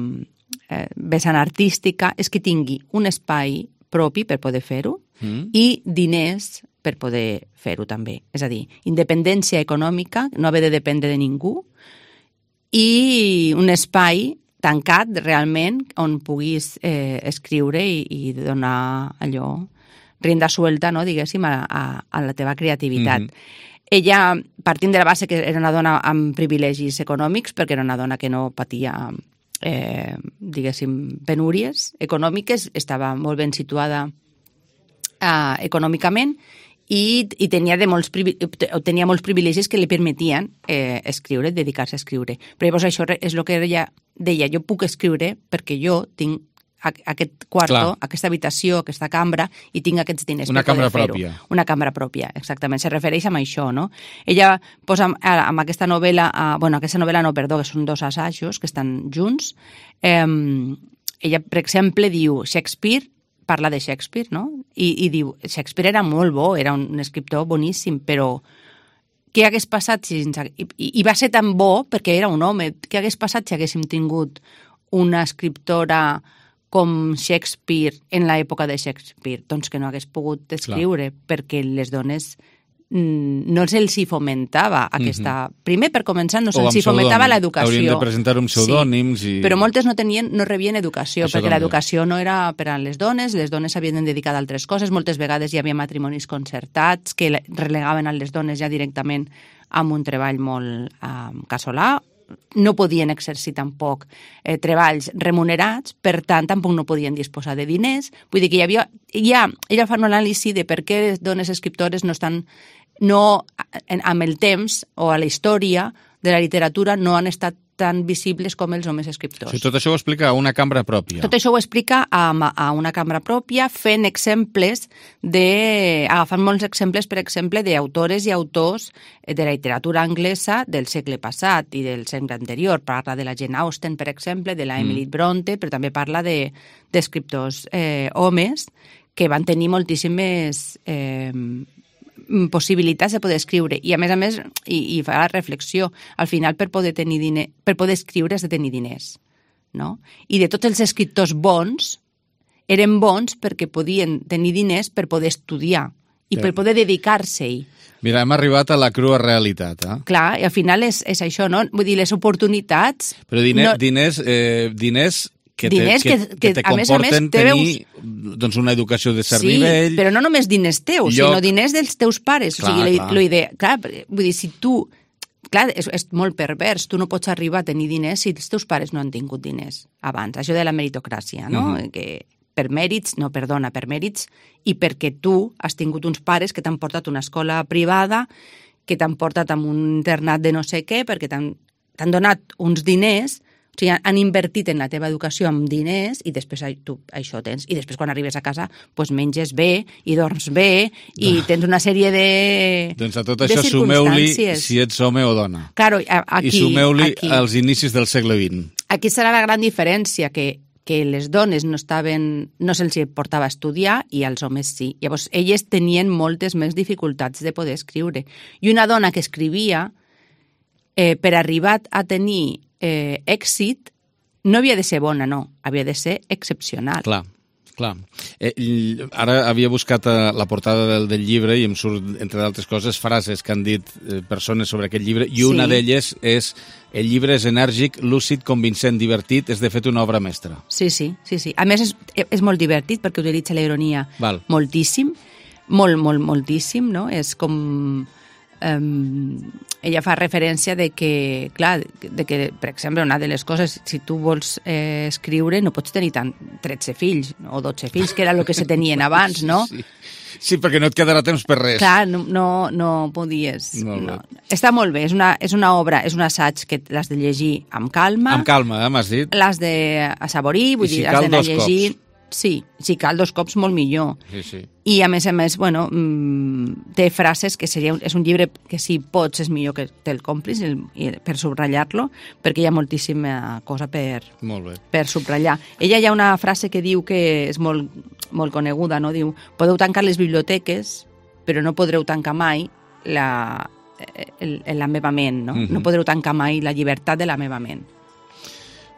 eh, vessant artística, és que tingui un espai propi per poder fer-ho mm. i diners per poder fer-ho també. És a dir, independència econòmica, no haver de dependre de ningú, i un espai tancat realment, on puguis eh, escriure i, i donar allò, rienda suelta, no, diguéssim, a, a, a la teva creativitat. Mm-hmm. Ella, partint de la base que era una dona amb privilegis econòmics, perquè era una dona que no patia, eh, diguéssim, penúries econòmiques, estava molt ben situada eh, econòmicament, i, i tenia, de molts, tenia molts privilegis que li permetien eh, escriure, dedicar-se a escriure. Però llavors això és el que ella deia, jo puc escriure perquè jo tinc aquest quarto, Clar. aquesta habitació, aquesta cambra, i tinc aquests diners Una per poder fer-ho. Pròpia. Una cambra pròpia, exactament. Se refereix a això, no? Ella posa amb aquesta novel·la, bueno, aquesta novel·la no, perdó, que són dos assajos que estan junts. Eh, ella, per exemple, diu Shakespeare, parla de Shakespeare, no? I, i diu, Shakespeare era molt bo, era un escriptor boníssim, però què hagués passat si... I, i va ser tan bo perquè era un home. Què hagués passat si haguéssim tingut una escriptora com Shakespeare en l'època de Shakespeare? Doncs que no hagués pogut escriure, Clar. perquè les dones no se'ls hi fomentava aquesta... Mm-hmm. Primer, per començar, no se'ls hi fomentava l'educació. Haurien de presentar uns pseudònims. Sí. I... Però moltes no tenien, no rebien educació, Això perquè també. l'educació no era per a les dones, les dones s'havien de dedicar a altres coses, moltes vegades hi havia matrimonis concertats que relegaven a les dones ja directament amb un treball molt um, casolà, no podien exercir tampoc eh, treballs remunerats, per tant, tampoc no podien disposar de diners. Vull dir que hi havia... Ja, ella fa una anàlisi de per què les dones escriptores no estan... no, amb el temps o a la història de la literatura no han estat tan visibles com els homes escriptors. Sí, tot això ho explica a una cambra pròpia. Tot això ho explica a, a una cambra pròpia, fent exemples de... agafant molts exemples, per exemple, d'autores i autors de la literatura anglesa del segle passat i del segle anterior. Parla de la Jane Austen, per exemple, de la Emily mm. Bronte, però també parla de, d'escriptors eh, homes que van tenir moltíssimes... Eh, possibilitats de poder escriure i a més a més i, i fa la reflexió al final per poder tenir diner, per poder escriure has de tenir diners, no? I de tots els escriptors bons eren bons perquè podien tenir diners per poder estudiar i sí. per poder dedicar-se-hi. Mira, hem arribat a la crua realitat, eh? Clar, i al final és, és això, no? Vull dir, les oportunitats... Però diner, no... diners, eh, diners que te, diners que, que, que te a més a més, comporten tenir doncs, una educació de cert sí, nivell... Sí, però no només diners teus, lloc... sinó diners dels teus pares. Clar, o sigui, clar. La idea, clar, vull dir, si tu... Clar, és, és molt pervers. Tu no pots arribar a tenir diners si els teus pares no han tingut diners abans. Això de la meritocràcia, no? Uh-huh. Que per mèrits, no, perdona, per mèrits, i perquè tu has tingut uns pares que t'han portat a una escola privada, que t'han portat a un internat de no sé què, perquè t'han, t'han donat uns diners... O sigui, han invertit en la teva educació amb diners i després tu això tens. I després quan arribes a casa doncs menges bé i dorms bé i tens una sèrie de Doncs a tot això sumeu-li si ets home o dona. Claro, aquí, I sumeu-li aquí. als inicis del segle vint. Aquí serà la gran diferència, que, que les dones no estaven, no se'ls portava a estudiar i als homes sí. Llavors, elles tenien moltes més dificultats de poder escriure. I una dona que escrivia, eh, per arribar a tenir Eh, èxit, no havia de ser bona, no, havia de ser excepcional. Clar, clar. Eh, ara havia buscat la portada del, del llibre i em surt, entre d'altres coses, frases que han dit eh, persones sobre aquest llibre, i una sí. d'elles és: el llibre és enèrgic, lúcid, convincent, divertit, és de fet una obra mestra. Sí, sí, sí, sí. A més és, és molt divertit perquè utilitza la ironia Val. moltíssim, molt, molt, moltíssim, no? És com... Um, ella fa referència de que, clar, de que, per exemple, una de les coses, si tu vols eh, escriure, no pots tenir tant tretze fills o dotze fills, que era el que se tenien abans, no? Sí, sí. sí, perquè no et quedarà temps per res. Clar, no, no, no podies. No. Està molt bé, és una, és una obra, és un assaig que l'has de llegir amb calma. Amb calma, eh, m'has dit. L'has d'assavorir, vull I si dir, has d'anar llegint. Cops. Sí, si cal dos cops molt millor. Sí, sí. I a més a més, bueno, mmm, té frases que seria... És un llibre que si pots és millor que te'l compris el, per subratllar-lo, perquè hi ha moltíssima cosa per, molt bé. per subratllar. Ella hi ha una frase que diu que és molt, molt coneguda, no? Diu, podeu tancar les biblioteques, però no podreu tancar mai la, el, la meva ment, no? Mm-hmm. No podreu tancar mai la llibertat de la meva ment.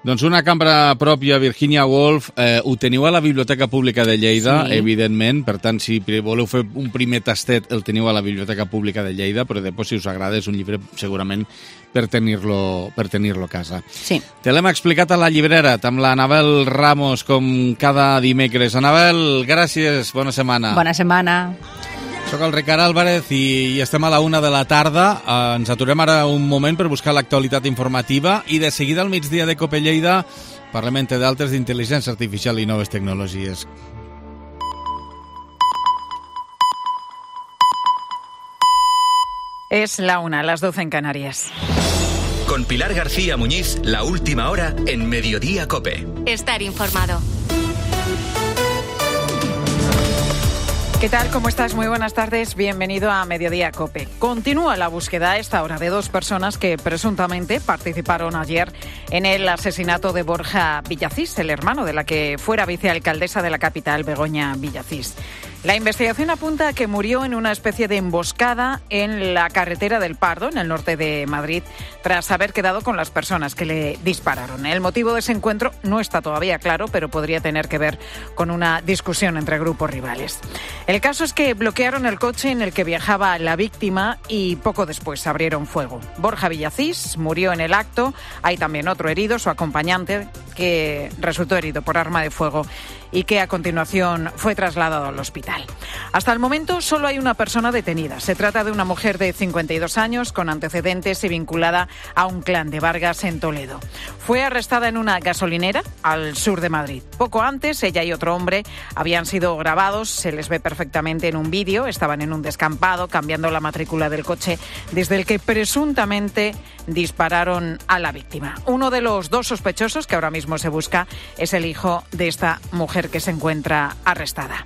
Doncs una cambra pròpia, Virginia Woolf, eh, ho teniu a la Biblioteca Pública de Lleida, sí. Evidentment, per tant, si voleu fer un primer tastet, el teniu a la Biblioteca Pública de Lleida, però després, si us agrada, és un llibre segurament per tenir-lo per tenir-lo a casa. Sí. Te l'hem explicat a la llibrera, amb l'Anabel Ramos, com cada dimecres. Anabel, gràcies, bona setmana. Bona setmana. Soc el Ricard Álvarez i, i estem a la una de la tarda. Eh, ens aturem ara un moment per buscar l'actualitat informativa i de seguida al migdia de Cope Lleida parlem entre d'altres d'intel·ligència artificial i noves tecnologies. Es la una, las doce en Canarias. Con Pilar García Muñiz, la última hora en Mediodía Cope. Estar informado. ¿Qué tal? ¿Cómo estás? Muy buenas tardes. Bienvenido a Mediodía Cope. Continúa la búsqueda a esta hora de dos personas que presuntamente participaron ayer en el asesinato de Borja Villacís, el hermano de la que fuera vicealcaldesa de la capital, Begoña Villacís. La investigación apunta a que murió en una especie de emboscada en la carretera del Pardo, en el norte de Madrid, tras haber quedado con las personas que le dispararon. El motivo de ese encuentro no está todavía claro, pero podría tener que ver con una discusión entre grupos rivales. El caso es que bloquearon el coche en el que viajaba la víctima y poco después abrieron fuego. Borja Villacís murió en el acto. Hay también otro herido, su acompañante, que resultó herido por arma de fuego y que a continuación fue trasladado al hospital. Hasta el momento solo hay una persona detenida. Se trata de una mujer de cincuenta y dos años con antecedentes y vinculada a un clan de Vargas en Toledo. Fue arrestada en una gasolinera al sur de Madrid. Poco antes, ella y otro hombre habían sido grabados, se les ve perfectamente en un vídeo, estaban en un descampado cambiando la matrícula del coche desde el que presuntamente dispararon a la víctima. Uno de los dos sospechosos que ahora mismo se busca es el hijo de esta mujer que se encuentra arrestada.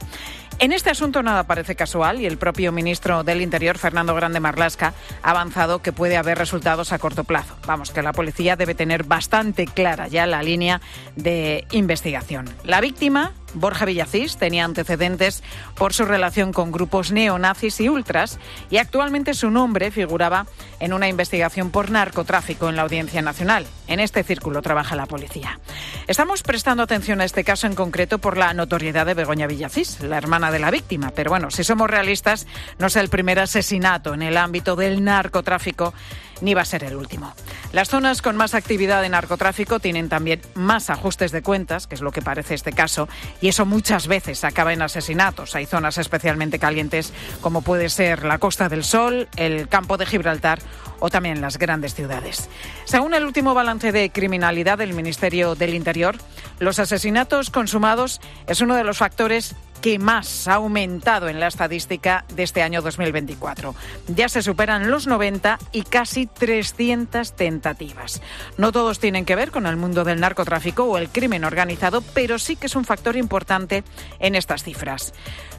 En este asunto nada parece casual y el propio ministro del Interior, Fernando Grande Marlaska, ha avanzado que puede haber resultados a corto plazo. Vamos, que la policía debe tener bastante clara ya la línea de investigación. La víctima, Borja Villacís, tenía antecedentes por su relación con grupos neonazis y ultras y actualmente su nombre figuraba en una investigación por narcotráfico en la Audiencia Nacional. En este círculo trabaja la policía. Estamos prestando atención a este caso en concreto por la notoriedad de Begoña Villacís, la hermana de la víctima. Pero bueno, si somos realistas, no es el primer asesinato en el ámbito del narcotráfico ni va a ser el último. Las zonas con más actividad de narcotráfico tienen también más ajustes de cuentas, que es lo que parece este caso, y eso muchas veces acaba en asesinatos. Hay zonas especialmente calientes, como puede ser la Costa del Sol, el Campo de Gibraltar o también las grandes ciudades. Según el último balance de criminalidad del Ministerio del Interior, los asesinatos consumados es uno de los factores que más ha aumentado en la estadística de este año dos mil veinticuatro. Ya se superan los noventa y casi trescientas tentativas. No todos tienen que ver con el mundo del narcotráfico o el crimen organizado, pero sí que es un factor importante en estas cifras.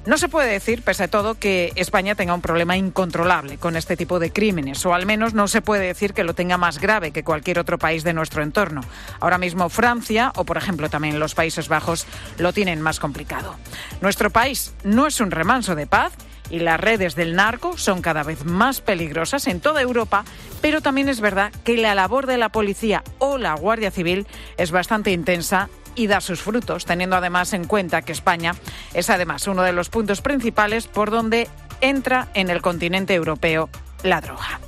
No se puede decir, pese a todo, que España tenga un problema incontrolable con este tipo de crímenes, o al menos no se puede decir que lo tenga más grave que cualquier otro país de nuestro entorno. Ahora mismo Francia, o por ejemplo también los Países Bajos, lo tienen más complicado. Nuestro país no es un remanso de paz y las redes del narco son cada vez más peligrosas en toda Europa, pero también es verdad que la labor de la policía o la Guardia Civil es bastante intensa y da sus frutos, teniendo además en cuenta que España es además uno de los puntos principales por donde entra en el continente europeo la droga.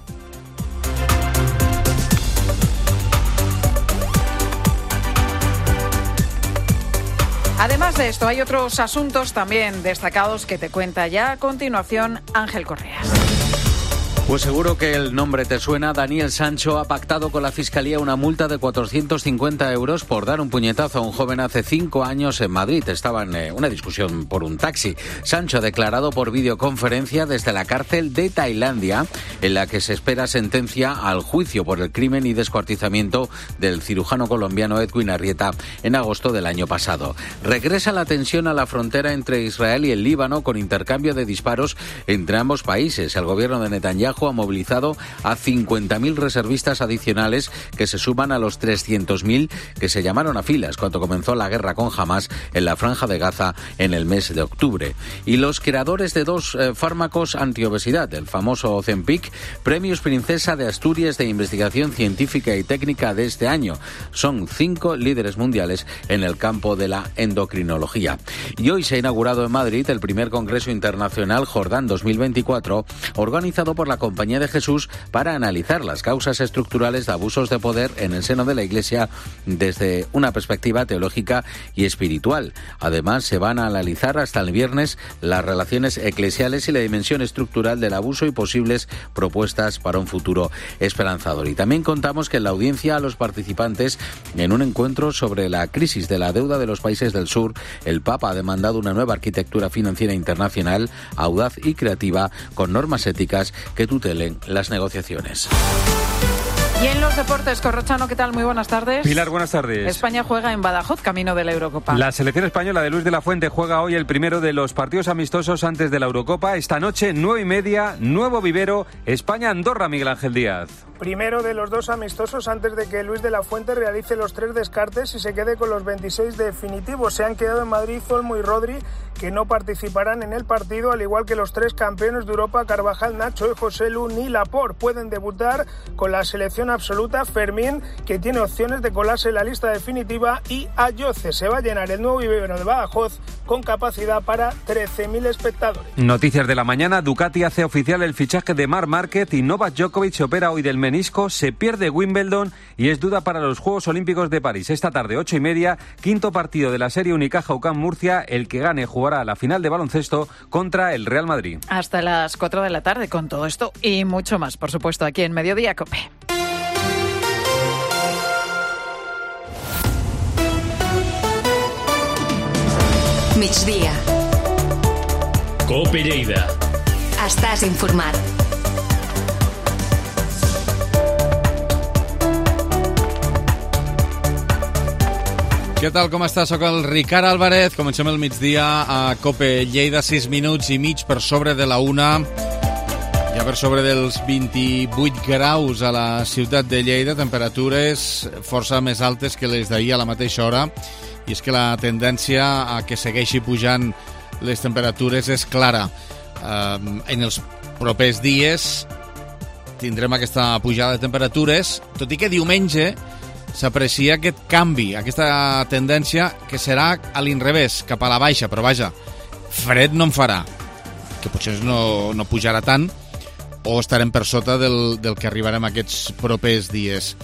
Además de esto, hay otros asuntos también destacados que te cuenta ya a continuación Ángel Correas. Pues seguro que el nombre te suena. Daniel Sancho ha pactado con la Fiscalía una multa de cuatrocientos cincuenta euros por dar un puñetazo a un joven hace cinco años en Madrid. Estaba en eh, una discusión por un taxi. Sancho ha declarado por videoconferencia desde la cárcel de Tailandia, en la que se espera sentencia al juicio por el crimen y descuartizamiento del cirujano colombiano Edwin Arrieta en agosto del año pasado. Regresa la tensión a la frontera entre Israel y el Líbano con intercambio de disparos entre ambos países. El gobierno de Netanyahu Netanyahu ha movilizado a cincuenta mil reservistas adicionales que se suman a los trescientos mil que se llamaron a filas cuando comenzó la guerra con Hamas en la Franja de Gaza en el mes de octubre. Y los creadores de dos eh, fármacos antiobesidad, el famoso Ozempic, premios Princesa de Asturias de Investigación Científica y Técnica de este año. Son cinco líderes mundiales en el campo de la endocrinología. Y hoy se ha inaugurado en Madrid el primer Congreso Internacional Jordán dos mil veinticuatro, organizado por la Compañía de Jesús para analizar las causas estructurales de abusos de poder en el seno de la Iglesia desde una perspectiva teológica y espiritual. Además, se van a analizar hasta el viernes las relaciones eclesiales y la dimensión estructural del abuso y posibles propuestas para un futuro esperanzador. Y también contamos que en la audiencia a los participantes en un encuentro sobre la crisis de la deuda de los países del sur, el Papa ha demandado una nueva arquitectura financiera internacional, audaz y creativa, con normas éticas que tutelen las negociaciones. Y en los deportes, Corrochano, ¿qué tal? Muy buenas tardes. Pilar, buenas tardes. España juega en Badajoz, camino de la Eurocopa. La selección española de Luis de la Fuente juega hoy el primero de los partidos amistosos antes de la Eurocopa. Esta noche, nueve y media, nuevo vivero, España-Andorra, Miguel Ángel Díaz. Primero de los dos amistosos antes de que Luis de la Fuente realice los tres descartes y se quede con los veintiséis definitivos. Se han quedado en Madrid Olmo y Rodri, que no participarán en el partido, al igual que los tres campeones de Europa, Carvajal, Nacho y José Lu ni Laporte. Pueden debutar con la selección absoluta Fermín, que tiene opciones de colarse en la lista definitiva, y Ayoce. Se va a llenar el nuevo vivero de Badajoz con capacidad para trece mil espectadores. Noticias de la mañana. Ducati hace oficial el fichaje de Marc Márquez y Novak Djokovic se opera hoy del menisco, se pierde Wimbledon y es duda para los Juegos Olímpicos de París. Esta tarde, ocho y media, quinto partido de la serie Unicaja U C A M Murcia. El que gane jugará la final de baloncesto contra el Real Madrid. Hasta las cuatro de la tarde con todo esto y mucho más, por supuesto, aquí en Mediodía COPE. Migdia. COPE Lleida. Estàs informat. Què tal, com estàs? Soc el Ricard Álvarez. Comencem el migdia a COPE Lleida, sis minuts i mig per sobre de la una. Ja per sobre dels vint-i-vuit graus a la ciutat de Lleida, temperatures força més altes que les d'ahir a la mateixa hora. I és que la tendència a que segueixi pujant les temperatures és clara. Um, en els propers dies tindrem aquesta pujada de temperatures, tot i que diumenge s'aprecia aquest canvi, aquesta tendència que serà a l'inrevés, cap a la baixa, però vaja, fred no en farà, que potser no, no pujarà tant, o estarem per sota del, del que arribarem aquests propers dies.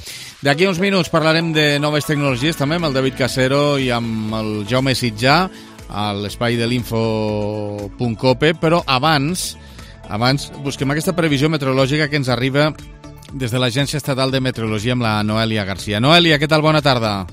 D'aquí uns minuts parlarem de noves tecnologies, també amb el David Casero i amb el Jaume Sitjà, a l'espai de l'info punt cope, però abans, abans busquem aquesta previsió meteorològica que ens arriba des de l'Agència Estatal de Meteorologia amb la Noèlia Garcia. Noèlia, què tal? Bona tarda.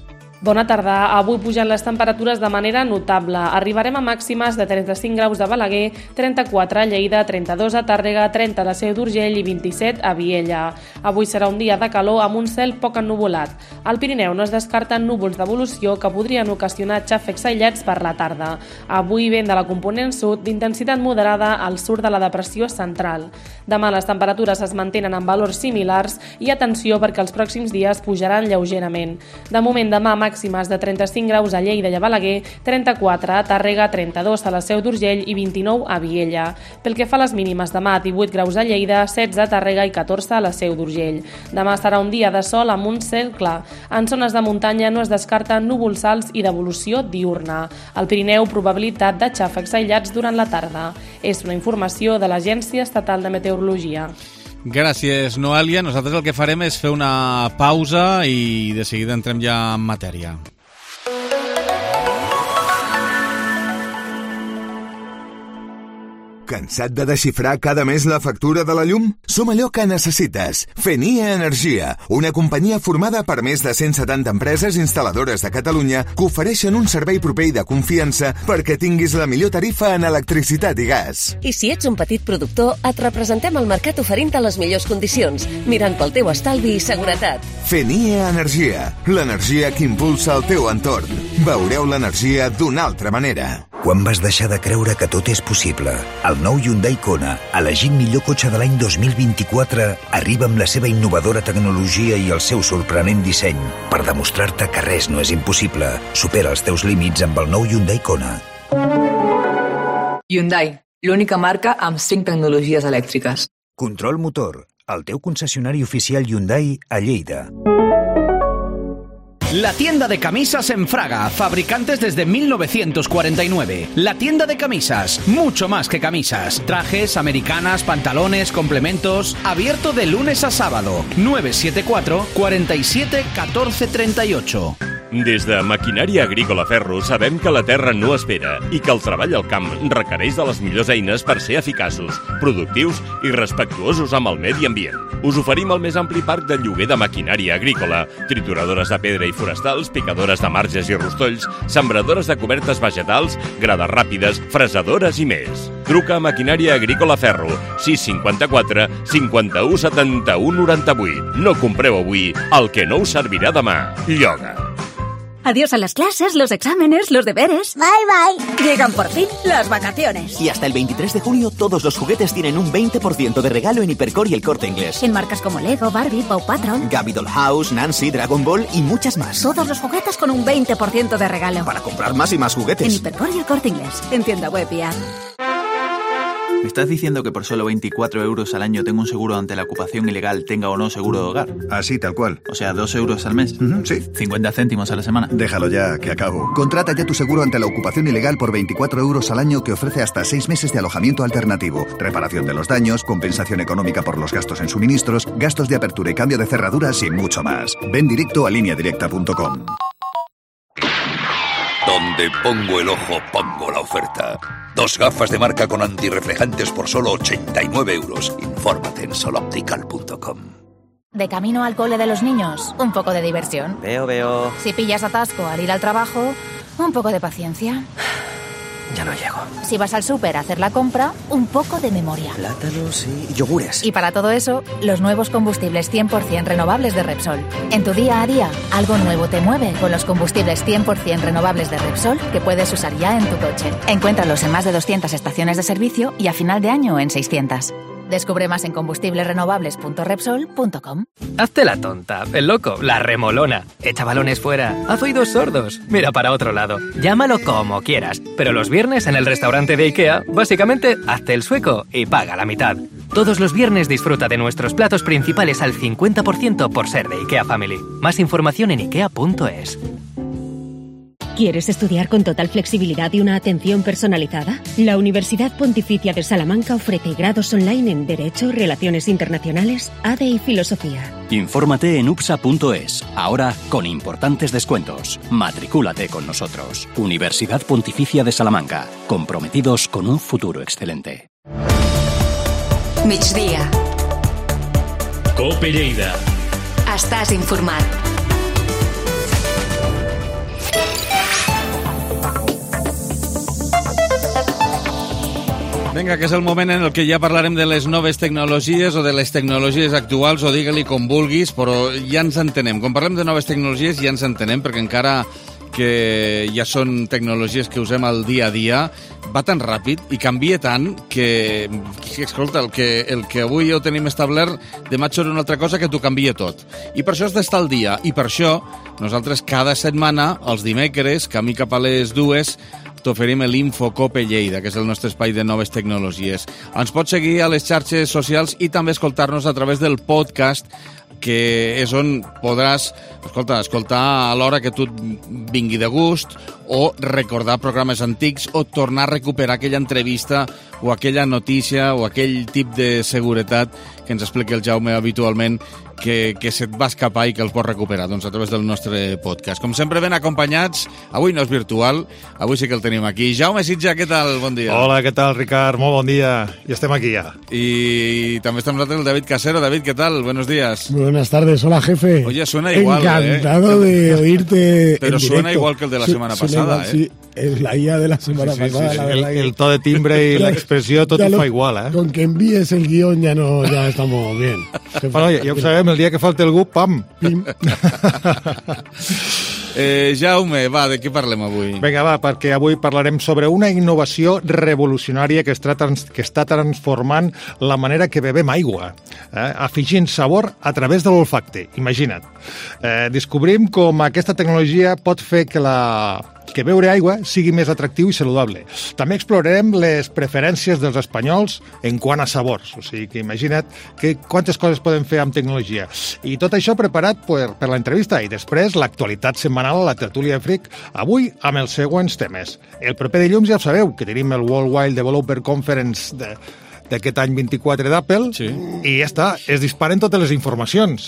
Bona tarda. Avui pugen les temperatures de manera notable. Arribarem a màximes de trenta-cinc graus a Balaguer, trenta-quatre a Lleida, trenta-dos a Tàrrega, trenta a la Seu d'Urgell i vint-i-set a Viella. Avui serà un dia de calor amb un cel poc ennuvolat. Al Pirineu no es descarten núvols d'evolució que podrien ocasionar xàfecs aïllats per la tarda. Avui vent de la component sud d'intensitat moderada al sud de la depressió central. Demà les temperatures es mantenen en valors similars i atenció perquè els pròxims dies pujaran lleugerament. De moment demà màximes de trenta-cinc graus a Lleida i a Balaguer, trenta-quatre a Tàrrega, trenta-dos a la Seu d'Urgell i vint-i-nou a Viella. Pel que fa a les mínimes, demà divuit graus a Lleida, setze a Tàrrega i catorze a la Seu d'Urgell. Demà serà un dia de sol amb un cel clar. En zones de muntanya no es descarten núvols alts i d'evolució diurna. Al Pirineu, probabilitat de xàfecs aïllats durant la tarda. És una informació de l'Agència Estatal de Meteorologia. Gràcies, Noèlia. Nosaltres el que farem és fer una pausa i de seguida entrem ja en matèria. Cansat de desxifrar cada mes la factura de la llum? Som allò que necessites. Fenia Energia, una companyia formada per més de cent setanta empreses instal·ladores de Catalunya que ofereixen un servei proper i de confiança perquè tinguis la millor tarifa en electricitat i gas. I si ets un petit productor, et representem al mercat oferint-te les millors condicions, mirant pel teu estalvi i seguretat. Fenia Energia, l'energia que impulsa el teu entorn. Veureu l'energia d'una altra manera. Quan vas deixar de creure que tot és possible? El nou Hyundai Kona, elegit millor cotxe de l'any dos mil vint-i-quatre, arriba amb la seva innovadora tecnologia i el seu sorprenent disseny per demostrar-te que res no és impossible. Supera els teus límits amb el nou Hyundai Kona. Hyundai, l'única marca amb cinc tecnologies elèctriques. Control Motor, el teu concessionari oficial Hyundai a Lleida. La tienda de camisas en Fraga, fabricantes desde mil novecientos cuarenta y nueve. La tienda de camisas, mucho más que camisas. Trajes, americanas, pantalones, complementos. Abierto de lunes a sábado. nueve siete cuatro, cuatro siete, uno cuatro tres ocho. Des de Maquinària Agrícola Ferro sabem que la terra no espera i que el treball al camp requereix de les millors eines per ser eficaços, productius i respectuosos amb el medi ambient. Us oferim el més ampli parc de lloguer de maquinària agrícola, trituradores de pedra i forestals, picadores de marges i rostolls, sembradores de cobertes vegetals, grades ràpides, fresadores i més. Truca a Maquinària Agrícola Ferro, sis cinquanta-quatre, cinquanta-u, setanta-u, noranta-vuit. No compreu avui el que no us servirà demà. Lloga. Adiós a las clases, los exámenes, los deberes. Bye, bye. Llegan por fin las vacaciones. Y hasta el veintitrés de junio todos los juguetes tienen un veinte por ciento de regalo en Hipercor y El Corte Inglés. En marcas como Lego, Barbie, Paw Patrol, Gabby Dollhouse, Nancy, Dragon Ball y muchas más. Todos los juguetes con un veinte por ciento de regalo. Para comprar más y más juguetes. En Hipercor y El Corte Inglés. En tienda web y app. ¿Me estás diciendo que por solo veinticuatro euros al año tengo un seguro ante la ocupación ilegal, tenga o no seguro de hogar? Así, tal cual. O sea, dos euros al mes. Uh-huh, sí. cincuenta céntimos a la semana. Déjalo ya, que acabo. Contrata ya tu seguro ante la ocupación ilegal por veinticuatro euros al año que ofrece hasta seis meses de alojamiento alternativo, reparación de los daños, compensación económica por los gastos en suministros, gastos de apertura y cambio de cerraduras y mucho más. Ven directo a línea directa punto com. Donde pongo el ojo, pongo la oferta. Dos gafas de marca con antirreflejantes por solo ochenta y nueve euros. Infórmate en soloptical punto com. De camino al cole de los niños, un poco de diversión. Veo, veo. Si pillas atasco al ir al trabajo, un poco de paciencia. Ya no llego. Si vas al súper a hacer la compra, un poco de memoria. Plátanos y yogures. Y para todo eso, los nuevos combustibles cien por ciento renovables de Repsol. En tu día a día, algo nuevo te mueve con los combustibles cien por ciento renovables de Repsol que puedes usar ya en tu coche. Encuéntralos en más de doscientas estaciones de servicio y a final de año en seiscientas. Descubre más en combustibles renovables punto repsol punto com. Hazte la tonta, el loco, la remolona. Echa balones fuera, haz oídos sordos, mira para otro lado. Llámalo como quieras, pero los viernes en el restaurante de IKEA, básicamente, hazte el sueco y paga la mitad. Todos los viernes disfruta de nuestros platos principales al cincuenta por ciento por ser de IKEA Family. Más información en ikea punto es. ¿Quieres estudiar con total flexibilidad y una atención personalizada? La Universidad Pontificia de Salamanca ofrece grados online en Derecho, Relaciones Internacionales, A D E y Filosofía. Infórmate en upsa punto es, ahora con importantes descuentos. Matricúlate con nosotros. Universidad Pontificia de Salamanca, comprometidos con un futuro excelente. Migdia. Cope Lleida. Estàs informat. Vinga, que és el moment en el que ja parlarem de les noves tecnologies o de les tecnologies actuals, o digue-li com vulguis, però ja ens entenem. Quan parlem de noves tecnologies ja ens entenem, perquè encara que ja són tecnologies que usem al dia a dia, va tan ràpid i canvia tant que, que escolta, el que, el que avui ja ho tenim establert, demà et surt una altra cosa que t'ho canvia tot. I per això has d'estar al dia, i per això nosaltres cada setmana, els dimecres, camí cap a les dues, t'oferim l'Infocope Lleida, que és el nostre espai de noves tecnologies. Ens pots seguir a les xarxes socials i també escoltar-nos a través del podcast, que és on podràs escolta, escoltar a l'hora que tu et vingui de gust, o recordar programes antics, o tornar a recuperar aquella entrevista o aquella notícia o aquell tip de seguretat que ens explica el Jaume habitualment, que, que se't va escapar i que el pots recuperar, doncs, a través del nostre podcast. Com sempre, ben acompanyats. Avui no és virtual, avui sí que el tenim aquí. Jaume Sitja, què tal? Bon dia. Hola, què tal, Ricard? Molt bon dia. I estem aquí ja. Y también está con nosotros el David Casero. David, ¿qué tal? Buenos días. Buenas tardes. Hola, jefe. Oye, suena igual, Encantado ¿eh? de oírte Pero en suena directo. igual que el de la Su semana suena pasada, igual, ¿eh? Sí. es la I A de la semana sí, sí, pasada, sí, la sí. verdad. El, que... el to de timbre y la expressió tot ho fa igual, eh? Con que envíes el guión ya no, ya estamos bien. Bueno, ja, ja ho sabem, el dia que falta algú, pam! Pim. eh, Jaume, va, de què parlem avui? Vinga, va, perquè avui parlarem sobre una innovació revolucionària que està, trans, que està transformant la manera que bebem aigua, eh? afegint sabor a través de l'olfacte. Imagina't. Eh, descobrim com aquesta tecnologia pot fer que la que beure aigua sigui més atractiu i saludable. També explorarem les preferències dels espanyols en quant a sabors. O sigui que imagina't que quantes coses podem fer amb tecnologia. I tot això preparat per, per l'entrevista i després l'actualitat setmanal a la tertúlia Freak, avui amb els següents temes. El proper dilluns ja ho sabeu, que tenim el World Wide Developer Conference de d'aquest any vint-i-quatre d'Apple, sí. I ja està, es disparen totes les informacions.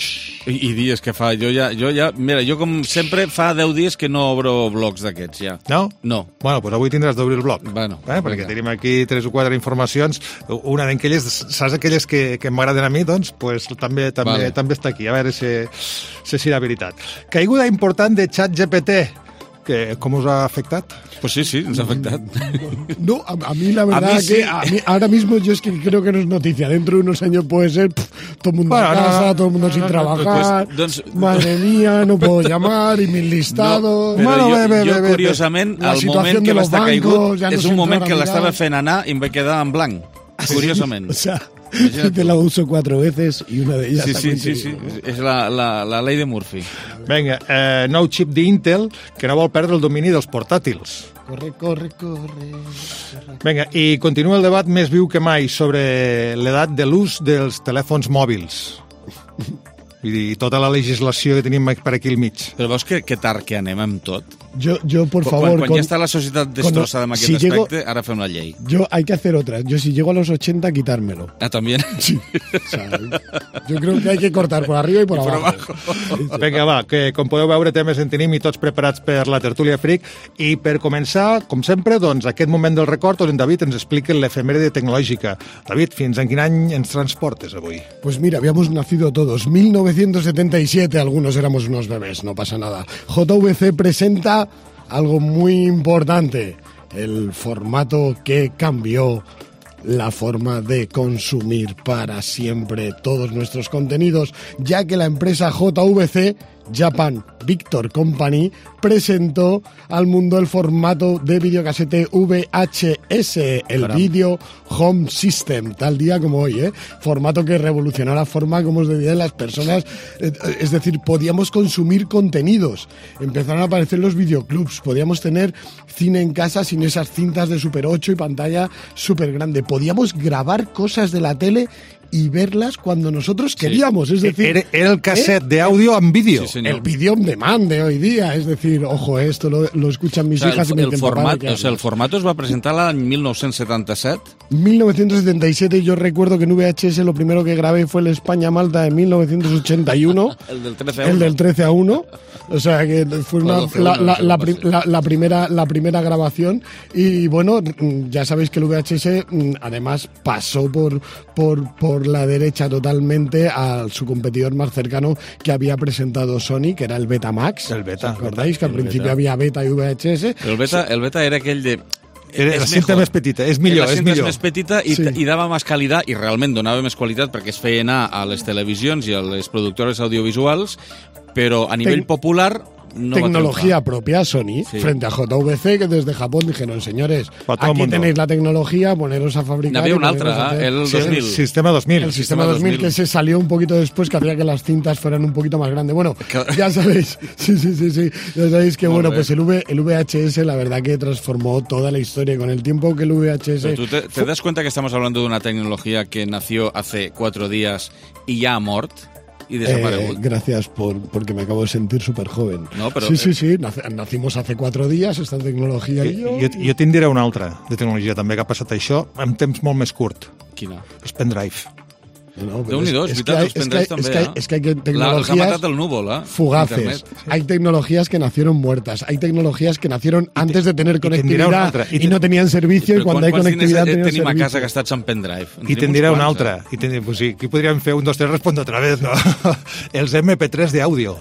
I, i dies que fa, jo ja, jo ja, mira, jo com sempre fa deu dies que no obro blogs d'aquests, ja. No? No. Bueno, doncs avui tindràs d'obrir el blog. Bueno. Eh? Perquè tenim aquí tres o quatre informacions, una d'aquelles, saps aquelles que, que m'agraden a mi, doncs, pues, també, també, vale. també està aquí, a veure si, si és la veritat. Caiguda important de ChatGPT. Que, ¿Cómo os ha afectado? Pues sí, sí, nos ha afectado. No, a, a mí la verdad a mí sí. que a mí, ahora mismo yo es que creo que no es noticia. Dentro de unos años puede ser pff, todo el mundo bueno, a casa, no, todo el mundo no, sin no, trabajar. Pues, doncs... Madre mía, no puedo llamar y mis listados. No, bueno, jo, ve, ve, jo ve, curiosament, ve. el moment que va estar caigut ja no és un moment que l'estava fent anar i em va quedar en blanc. Curiosament. O sea, te la uso cuatro veces y una de ellas... Sí, sí, sí, sí, és la, la, la ley de Murphy. Vinga, eh, nou xip d'Intel que no vol perdre el domini dels portàtils. Corre, corre, corre. Vinga, i continua el debat més viu que mai sobre l'edat de l'ús dels telèfons mòbils. I tota la legislació que tenim per aquí al mig. Però veus que, que tard que anem amb tot? Yo, yo por favor... Quan, quan con, ja està la societat destrossada amb aquest si aspecte, llego, ara fem una llei. Yo hay que hacer otra. Yo si llego a los ochenta, quitármelo. Ah, ¿también? Sí. O sea, yo creo que hay que cortar por arriba y por, y abajo. por abajo. Vinga, va, que com podeu veure temes en tenim i tots preparats per la tertúlia Freak. I per començar, com sempre, doncs, aquest moment del record on en David ens explica l'efemèride tecnològica. David, fins en quin any ens transportes avui? Pues mira, habíamos nacido todos. mil novecientos setenta y siete, algunos éramos unos bebés, no pasa nada. J V C presenta algo muy importante, el formato que cambió la forma de consumir para siempre todos nuestros contenidos, ya que la empresa J V C, Japan Victor Company, presentó al mundo el formato de videocasete V H S, el Caramba. Video Home System, tal día como hoy, ¿eh? Formato que revolucionó la forma como se veían las personas, es decir, podíamos consumir contenidos, empezaron a aparecer los videoclubs, podíamos tener cine en casa sin esas cintas de Super ocho y pantalla súper grande, podíamos grabar cosas de la tele y verlas cuando nosotros queríamos, sí. Es decir... Era, era el cassette ¿eh? de audio en vídeo. Sí, el vídeo on demand de hoy día, es decir, ojo, esto lo, lo escuchan mis o sea, hijas el, y me el format, o sea, el formato es va presentar l'any mil nou-cents setanta-set? mil novecientos setenta y siete, yo recuerdo que en V H S lo primero que grabé fue el España-Malta de mil novecientos ochenta y uno. el del trece a uno. El del trece a uno. O sea, que fue una, la, la, la, la, la, primera, la primera grabación. Y bueno, ya sabéis que el V H S además pasó por, por, por la derecha totalmente a su competidor más cercano que había presentado Sony, que era el Betamax. El Beta. ¿Os acordáis que al principio beta. había Beta y V H S? El Beta, el beta era aquell de... Era la cinta més petita, és millor, és millor. La cinta més petita i, sí. i dava més qualitat, i realment donava més qualitat perquè es feia anar a les televisions i a les productores audiovisuals, però a nivell Ten... popular no tecnología propia Sony, sí. Frente a J V C, que desde Japón dijeron, señores, aquí tenéis la tecnología, poneros a fabricar. Había un altra, ¿eh? el sí, dos mil. El sistema dos mil. El sistema dos mil, que se salió un poquito después, que hacía que las cintas fueran un poquito más grandes. Bueno, ya sabéis, sí, sí, sí, sí, ya sabéis que, bueno, pues el, v, el V H S, la verdad que transformó toda la historia con el tiempo que el V H S... Pero tú te, te das cuenta que estamos hablando de una tecnología que nació hace cuatro días y ya ha mort? Y desaparegut. Eh, gracias por, porque me acabo de sentir súper joven. No, però, sí, sí, sí, nacimos hace cuatro días, esta tecnologia i jo... Jo, jo te'n diré una altra de tecnologia també que ha passat això en temps molt més curt. Quina? Els pendrive. No, Déu-n'hi-do, és veritat, els pendrives també, es que, ¿eh? Es que hay tecnologías la, ha matat el núvol, ¿eh? fugaces. Internet. Hay tecnologías que nacieron muertas. Hay tecnologías que nacieron antes de tener conectividad y, y, y no tenían servicio, y cuando hay conectividad tenían tenim servicio. a casa gastats en pendrive? I te'n diré una altra. I ten, pues sí, aquí podríem fer un, dos, tres, responde otra vez, no? Els eme pe tres de audio.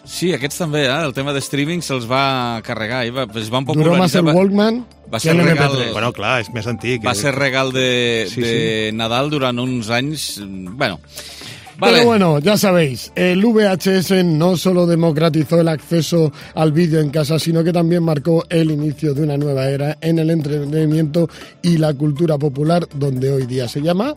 Sí, aquests també, eh? El tema de streaming se'ls va carregar i va, es van Duró más el Walkman va ser regal, Bueno, clar, és més antic. Va ser regal de, sí, de sí. Nadal durant uns anys... Bueno... Vale. Vale. Pero bueno, ya sabéis, el V H S no solo democratizó el acceso al vídeo en casa, sino que también marcó el inicio de una nueva era en el entretenimiento y la cultura popular, donde hoy día se llama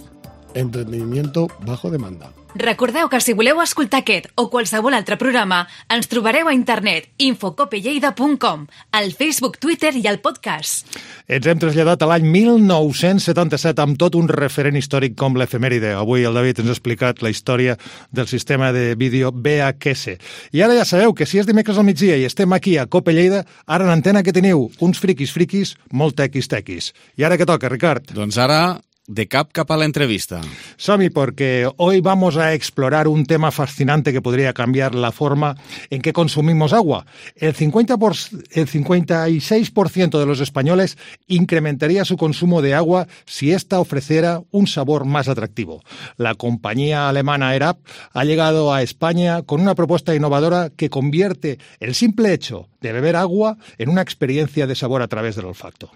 entretenimiento bajo demanda. Recordeu que si voleu escoltar aquest o qualsevol altre programa, ens trobareu a internet infocopelleida punt com, al Facebook, Twitter i al podcast. Ens hem traslladat a l'any mil nou-cents setanta-set amb tot un referent històric com l'efemèride. Avui el David ens ha explicat la història del sistema de vídeo V H S. I ara ja sabeu que si és dimecres al migdia i estem aquí a Cope Lleida, ara en antena que teniu uns friquis friquis molt tequis tequis. I ara què toca, Ricard? Doncs ara... de cap cap a la entrevista. Sami, porque hoy vamos a explorar un tema fascinante que podría cambiar la forma en que consumimos agua. El cincuenta por, el cincuenta y seis por ciento de los españoles incrementaría su consumo de agua si ésta ofreciera un sabor más atractivo. La compañía alemana ERAP ha llegado a España con una propuesta innovadora que convierte el simple hecho de beber agua en una experiencia de sabor a través del olfato.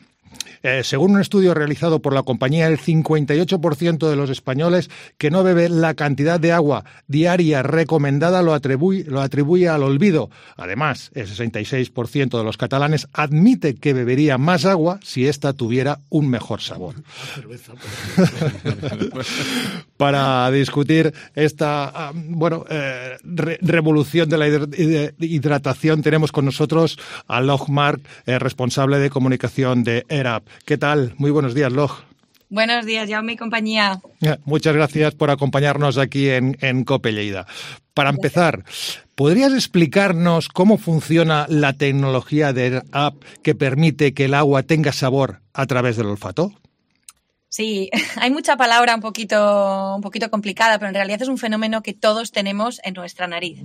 Eh, según un estudio realizado por la compañía, el cincuenta y ocho por ciento de los españoles que no bebe la cantidad de agua diaria recomendada lo atribuye, lo atribuye al olvido. Además, el sesenta y seis por ciento de los catalanes admite que bebería más agua si ésta tuviera un mejor sabor. Para discutir esta bueno eh, re revolución de la hidratación tenemos con nosotros a Log Mark, eh, responsable de comunicación de ERAP. ¿Qué tal? Muy buenos días, Log. Buenos días, Jaume y compañía. Muchas gracias por acompañarnos aquí en, en Cope Lleida. Para empezar, ¿podrías explicarnos cómo funciona la tecnología de ERAP que permite que el agua tenga sabor a través del olfato? Sí, hay mucha palabra un poquito, un poquito complicada, pero en realidad es un fenómeno que todos tenemos en nuestra nariz.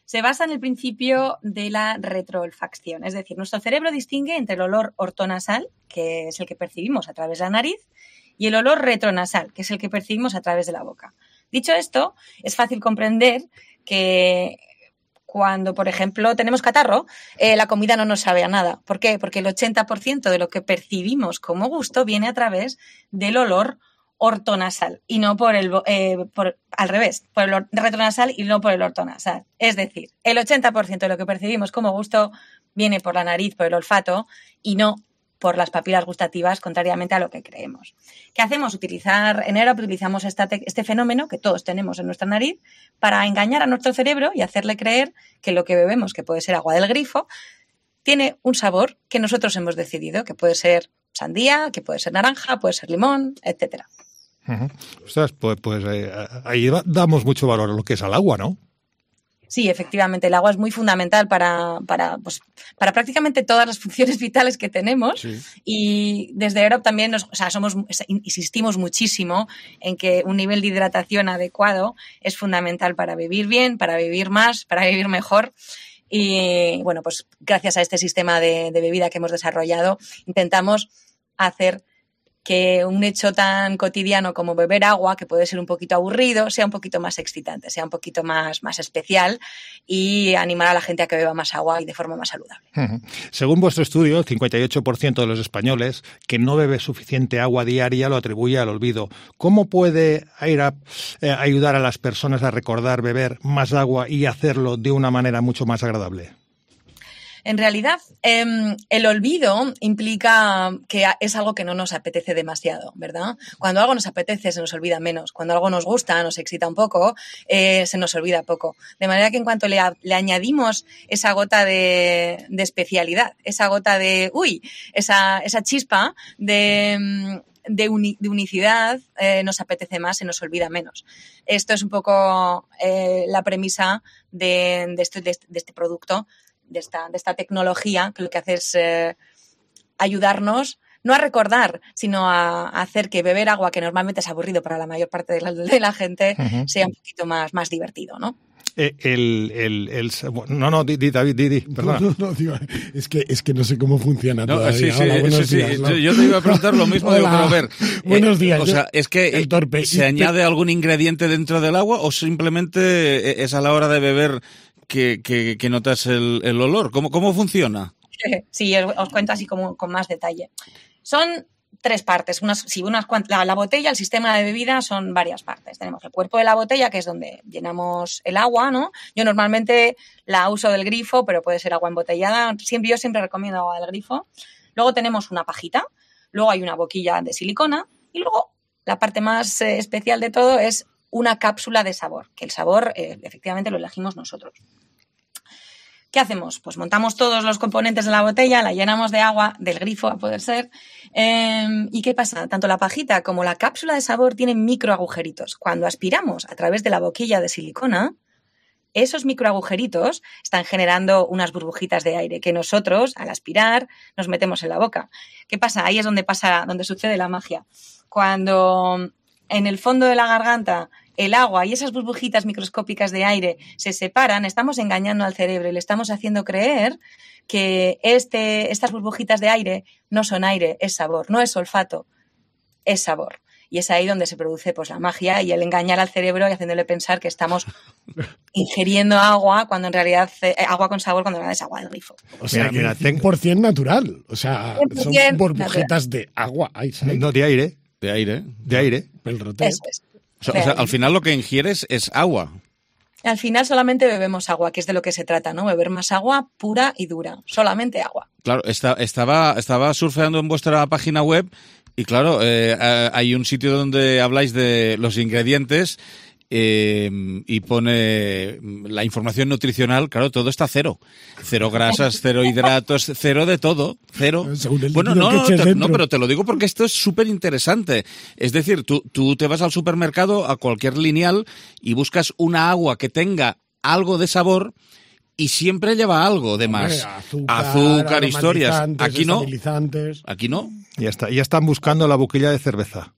Se basa en el principio de la retroolfacción, es decir, nuestro cerebro distingue entre el olor ortonasal, que es el que percibimos a través de la nariz, y el olor retronasal, que es el que percibimos a través de la boca. Dicho esto, es fácil comprender que cuando, por ejemplo, tenemos catarro, eh, la comida no nos sabe a nada. ¿Por qué? Porque el ochenta por ciento de lo que percibimos como gusto viene a través del olor ortonasal y no por el eh, por, al revés, por el retronasal y no por el ortonasal. Es decir, el ochenta por ciento de lo que percibimos como gusto viene por la nariz, por el olfato y no por las papilas gustativas, contrariamente a lo que creemos. ¿Qué hacemos? Utilizar en ERAP utilizamos esta este fenómeno que todos tenemos en nuestra nariz para engañar a nuestro cerebro y hacerle creer que lo que bebemos, que puede ser agua del grifo, tiene un sabor que nosotros hemos decidido, que puede ser sandía, que puede ser naranja, puede ser limón, etcétera. Uh-huh. Ostras, pues, pues eh, ahí damos mucho valor a lo que es al agua, ¿no? Sí, efectivamente, el agua es muy fundamental para, para, pues, para prácticamente todas las funciones vitales que tenemos. Sí. Y desde ERAP también nos, o sea, somos, insistimos muchísimo en que un nivel de hidratación adecuado es fundamental para vivir bien, para vivir más, para vivir mejor. Y bueno, pues gracias a este sistema de, de bebida que hemos desarrollado, intentamos hacer que un hecho tan cotidiano como beber agua, que puede ser un poquito aburrido, sea un poquito más excitante, sea un poquito más, más especial y animar a la gente a que beba más agua y de forma más saludable. Uh-huh. Según vuestro estudio, el cincuenta y ocho por ciento de los españoles que no bebe suficiente agua diaria lo atribuye al olvido. ¿Cómo puede ERAP eh, ayudar a las personas a recordar beber más agua y hacerlo de una manera mucho más agradable? En realidad, eh, el olvido implica que es algo que no nos apetece demasiado, ¿verdad? Cuando algo nos apetece, se nos olvida menos. Cuando algo nos gusta, nos excita un poco, eh, se nos olvida poco. De manera que en cuanto le, le añadimos esa gota de, de especialidad, esa gota de, uy, esa, esa chispa de... De, uni, de unicidad, eh, nos apetece más, se nos olvida menos. Esto es un poco eh, la premisa de, de, este, de, de este producto, de esta, de esta tecnología, que lo que hace es eh, ayudarnos no a recordar, sino a, a hacer que beber agua, que normalmente es aburrido para la mayor parte de la, de la gente, uh-huh. sea un poquito más, más divertido, ¿no? Eh, el, el, el, no, no, di, di, David, di, di, perdona. No, no, no, tío, es, que, es que no sé cómo funciona no, todavía. Sí, sí, Hola, buenos sí, días. sí. ¿No? Yo te iba a preguntar lo mismo, digo, pero a ver. Buenos eh, días. O sea, es que el torpe. ¿se añade algún ingrediente dentro del agua o simplemente es a la hora de beber que, que, que notas el, el olor? ¿Cómo, cómo funciona? Sí, os, os cuento así como con más detalle. Son tres partes. Unas, sí, unas, la, la botella, el sistema de bebida son varias partes. Tenemos el cuerpo de la botella, que es donde llenamos el agua, ¿no? Yo normalmente la uso del grifo, pero puede ser agua embotellada. Siempre, yo siempre recomiendo agua del grifo. Luego tenemos una pajita, luego hay una boquilla de silicona y luego la parte más eh, especial de todo es una cápsula de sabor, que el sabor eh, efectivamente lo elegimos nosotros. ¿Qué hacemos? Pues montamos todos los componentes de la botella, la llenamos de agua, del grifo a poder ser. Eh, ¿Y qué pasa? Tanto la pajita como la cápsula de sabor tienen microagujeritos. Cuando aspiramos a través de la boquilla de silicona, esos microagujeritos están generando unas burbujitas de aire que nosotros, al aspirar, nos metemos en la boca. ¿Qué pasa? Ahí es donde pasa, donde sucede la magia. Cuando en el fondo de la garganta el agua y esas burbujitas microscópicas de aire se separan, estamos engañando al cerebro y le estamos haciendo creer que este, estas burbujitas de aire no son aire, es sabor, no es olfato, es sabor. Y es ahí donde se produce pues, la magia y el engañar al cerebro y haciéndole pensar que estamos ingiriendo agua cuando en realidad eh, agua con sabor cuando en realidad es agua del grifo. O sea, mira, cien por ciento natural. O sea, son burbujitas natural. De agua. Ay, no, de aire. De aire. De aire. El roteo. Eso es. O sea, o sea, al final lo que ingieres es agua. Al final solamente bebemos agua, que es de lo que se trata, ¿no? Beber más agua pura y dura. Solamente agua. Claro, está, estaba, estaba surfeando en vuestra página web y claro, eh, hay un sitio donde habláis de los ingredientes eh, y pone la información nutricional, claro, todo está cero. Cero grasas, cero hidratos, cero de todo, cero. Bueno, no, no, te, no, pero te lo digo porque esto es súper interesante. Es decir, tú, tú te vas al supermercado, a cualquier lineal, y buscas una agua que tenga algo de sabor y siempre lleva algo de más. Hombre, azúcar, azúcar historias. Aquí no. Aquí no. Ya está, ya están buscando la boquilla de cerveza.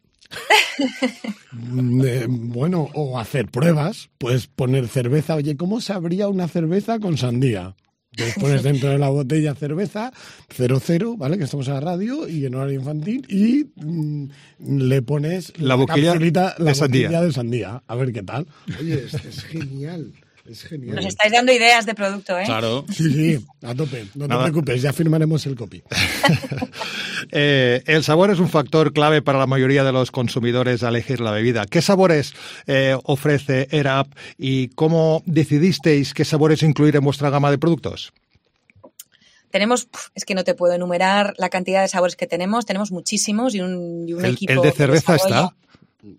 Eh, bueno, o hacer pruebas, puedes poner cerveza. Oye, ¿cómo sabría una cerveza con sandía? Entonces pones dentro de la botella cerveza, cero cero, ¿vale? Que estamos a la radio y en horario infantil, y mmm, le pones la boquilla, la de, sandía. boquilla de sandía. A ver qué tal. Oye, es, es genial. Es genial. Nos estáis dando ideas de producto, ¿eh? Claro. Sí, sí, a tope. No Nada. te preocupes, ya firmaremos el copy. eh, el sabor es un factor clave para la mayoría de los consumidores a elegir la bebida. ¿Qué sabores eh, ofrece AirUp y cómo decidisteis qué sabores incluir en vuestra gama de productos? Tenemos, es que no te puedo enumerar la cantidad de sabores que tenemos. Tenemos muchísimos y un, y un el, equipo. ¿El de cerveza de está?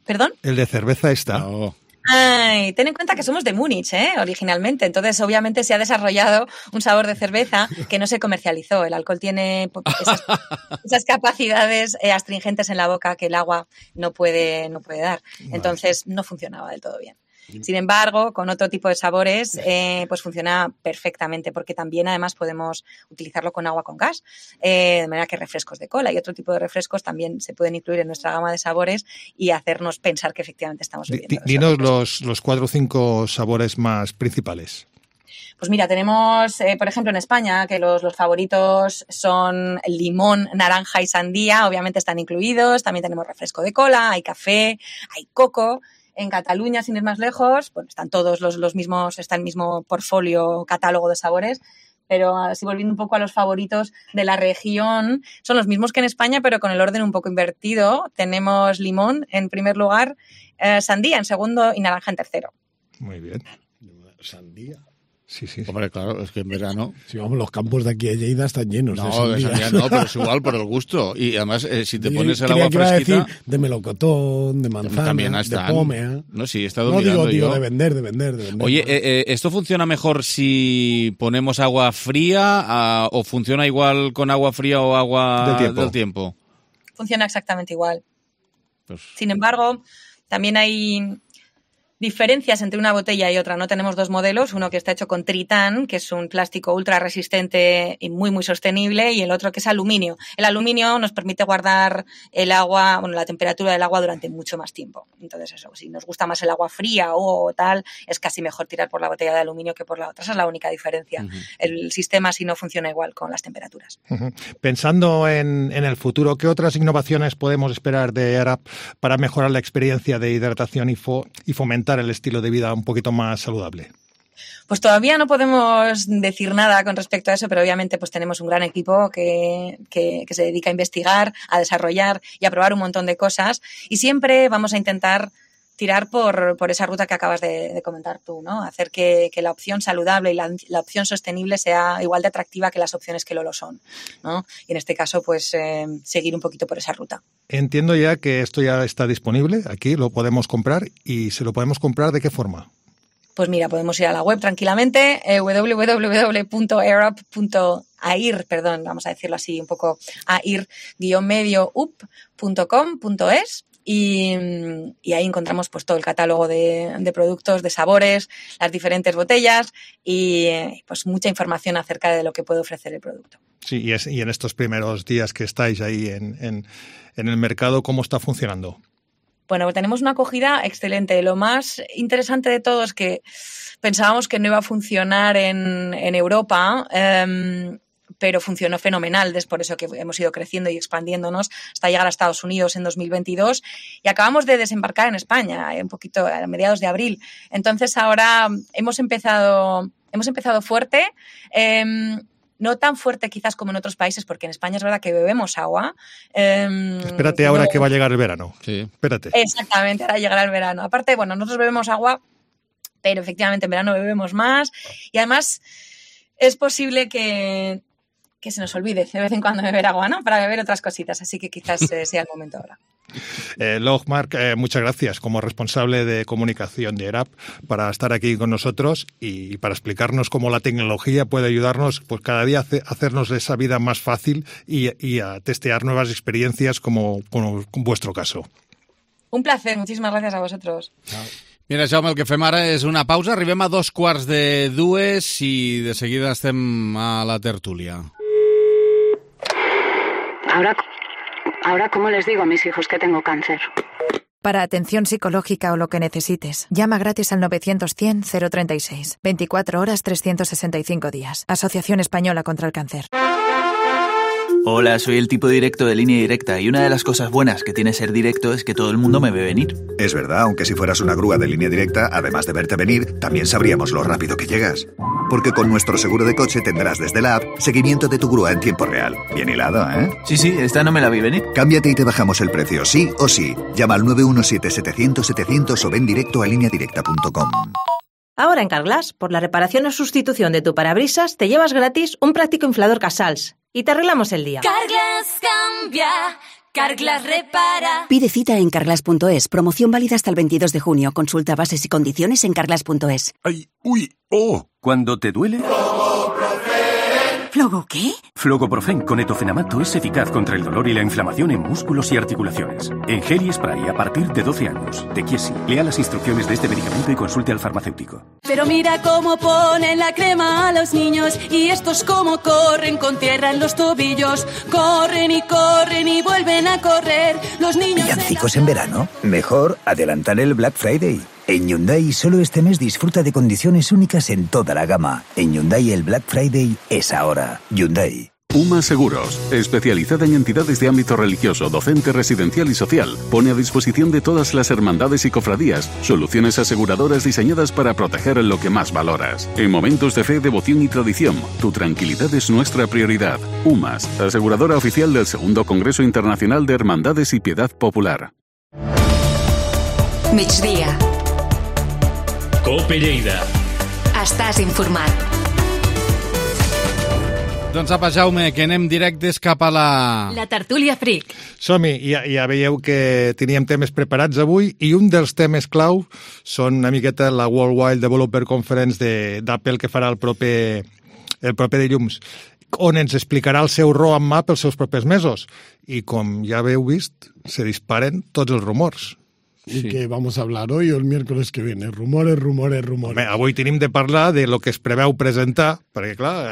¿Perdón? El de cerveza está. No. Ay, ten en cuenta que somos de Múnich, ¿eh? Originalmente. Entonces, obviamente, se ha desarrollado un sabor de cerveza que no se comercializó. El alcohol tiene esas, esas capacidades eh, astringentes en la boca que el agua no puede, no puede dar. Entonces, no funcionaba del todo bien. Sin embargo, con otro tipo de sabores, eh, pues funciona perfectamente, porque también además podemos utilizarlo con agua con gas, eh, de manera que refrescos de cola y otro tipo de refrescos también se pueden incluir en nuestra gama de sabores y hacernos pensar que efectivamente estamos bebiendo. Dinos los, los cuatro o cinco sabores más principales. Pues mira, tenemos, eh, por ejemplo, en España, que los, los favoritos son limón, naranja y sandía, obviamente están incluidos. También tenemos refresco de cola, hay café, hay coco. En Cataluña, sin ir más lejos, bueno, están todos los, los mismos, está el mismo portfolio, catálogo de sabores, pero así volviendo un poco a los favoritos de la región, son los mismos que en España, pero con el orden un poco invertido. Tenemos limón en primer lugar, eh, sandía en segundo y naranja en tercero. Muy bien. Sandía. Sí, sí. Hombre, claro, es que en verano... Sí, vamos, los campos de aquí de Lleida están llenos no, de sandía. de sandía no, pero es igual por el gusto. Y además, eh, si te Yo pones el creía agua que iba a fresquita... decir de melocotón, de manzana, también de están. pómea. No, sí, he estado No mirando digo, digo, yo. de vender, de vender, de vender. Oye, eh, eh, ¿esto funciona mejor si ponemos agua fría uh, o funciona igual con agua fría o agua del tiempo? Del tiempo? Funciona exactamente igual. Pues... Sin embargo, también hay diferencias entre una botella y otra, ¿no? Tenemos dos modelos, uno que está hecho con tritán, que es un plástico ultra resistente y muy, muy sostenible, y el otro que es aluminio. El aluminio nos permite guardar el agua, bueno, la temperatura del agua durante mucho más tiempo. Entonces, eso, si nos gusta más el agua fría o tal, es casi mejor tirar por la botella de aluminio que por la otra. Esa es la única diferencia. Uh-huh. El sistema así no funciona igual con las temperaturas. Uh-huh. Pensando en, en el futuro, ¿qué otras innovaciones podemos esperar de AirUp para mejorar la experiencia de hidratación y, fo- y fomentar el estilo de vida un poquito más saludable? Pues todavía no podemos decir nada con respecto a eso, pero obviamente pues tenemos un gran equipo que, que, que se dedica a investigar, a desarrollar y a probar un montón de cosas, y siempre vamos a intentar tirar por, por esa ruta que acabas de, de comentar tú, ¿no? Hacer que, que la opción saludable y la, la opción sostenible sea igual de atractiva que las opciones que lo lo son, ¿no? Y en este caso, pues, eh, seguir un poquito por esa ruta. Entiendo ya que esto ya está disponible, aquí lo podemos comprar, y ¿se lo podemos comprar de qué forma? Pues mira, podemos ir a la web tranquilamente, eh, doble u doble u doble u punto airup punto air, perdón, vamos a decirlo así un poco, air guión medio up punto com punto es. Y, y ahí encontramos pues todo el catálogo de, de productos, de sabores, las diferentes botellas y pues mucha información acerca de lo que puede ofrecer el producto. Sí, y, es, y en estos primeros días que estáis ahí en, en, en el mercado, ¿cómo está funcionando? Bueno, tenemos una acogida excelente. Lo más interesante de todo es que pensábamos que no iba a funcionar en, en Europa, eh, pero funcionó fenomenal. Es por eso que hemos ido creciendo y expandiéndonos hasta llegar a Estados Unidos en dos mil veintidós y acabamos de desembarcar en España un poquito a mediados de abril. Entonces ahora hemos empezado, hemos empezado fuerte, eh, no tan fuerte quizás como en otros países, porque en España es verdad que bebemos agua. Eh, Espérate ahora no, que va a llegar el verano. Sí. Espérate. Exactamente, ahora llegará el verano. Aparte, bueno, nosotros bebemos agua, pero efectivamente en verano bebemos más y además es posible que que se nos olvide de vez en cuando beber agua, ¿no? Para beber otras cositas, así que quizás eh, sea el momento ahora. Eh, Logmark, eh, muchas gracias como responsable de comunicación de airup para estar aquí con nosotros y para explicarnos cómo la tecnología puede ayudarnos pues cada día a hacernos esa vida más fácil y, y a testear nuevas experiencias como, como vuestro caso. Un placer, muchísimas gracias a vosotros. Chao. Mira, Jaume, el que fem ara és una pausa. Arribem a dos quarts de dues i de seguida estem a la tertúlia. Ahora, ahora, ¿cómo les digo a mis hijos que tengo cáncer? Para atención psicológica o lo que necesites, llama gratis al novecientos cien cero treinta y seis. veinticuatro horas, trescientos sesenta y cinco días. Asociación Española contra el Cáncer. Hola, soy el tipo directo de Línea Directa y una de las cosas buenas que tiene ser directo es que todo el mundo me ve venir. Es verdad, aunque si fueras una grúa de Línea Directa, además de verte venir, también sabríamos lo rápido que llegas. Porque con nuestro seguro de coche tendrás desde la app seguimiento de tu grúa en tiempo real. Bien hilado, ¿eh? Sí, sí, esta no me la vi venir. Cámbiate y te bajamos el precio, sí o sí. Llama al nueve uno siete setecientos setecientos o ven directo a línea directa punto com. Ahora en Carglass, por la reparación o sustitución de tu parabrisas, te llevas gratis un práctico inflador Casals y te arreglamos el día. Carglass cambia, Carglass repara. Pide cita en carglass punto es. Promoción válida hasta el veintidós de junio. Consulta bases y condiciones en carglass punto es. ¡Ay! ¡Uy! ¡Oh! ¿Cuándo te duele? ¿Flogo qué? Flogoprofen con etofenamato es eficaz contra el dolor y la inflamación en músculos y articulaciones. En gel y spray a partir de doce años. De Chiesi. Lea las instrucciones de este medicamento y consulte al farmacéutico. Pero mira cómo ponen la crema a los niños y estos cómo corren con tierra en los tobillos. Corren y corren y vuelven a correr. Los niños... ¿Villancicos en verano? Mejor adelantar el Black Friday. En Hyundai solo este mes disfruta de condiciones únicas en toda la gama. En Hyundai el Black Friday es ahora. Hyundai. UMA Seguros, especializada en entidades de ámbito religioso, docente, residencial y social, pone a disposición de todas las hermandades y cofradías soluciones aseguradoras diseñadas para proteger lo que más valoras. En momentos de fe, devoción y tradición, tu tranquilidad es nuestra prioridad. UMAS, aseguradora oficial del segundo Congreso Internacional de Hermandades y Piedad Popular. Migdia. Cope Lleida. Estàs informat. Doncs apa, Jaume, que anem directes cap a la... La tertúlia fric. Som-hi, ja, ja veieu que teníem temes preparats avui i un dels temes clau són una miqueta la Worldwide Developer Conference d'Apple que farà el proper, el proper dilluns, on ens explicarà el seu roadmap els seus propers mesos. I com ja haveu vist, se disparen tots els rumors. ¿Y sí. qué vamos a hablar hoy o el miércoles que viene? Rumores, rumores, rumores. Home, avui tenim de parlar de lo que es preveu presentar, perquè, clar,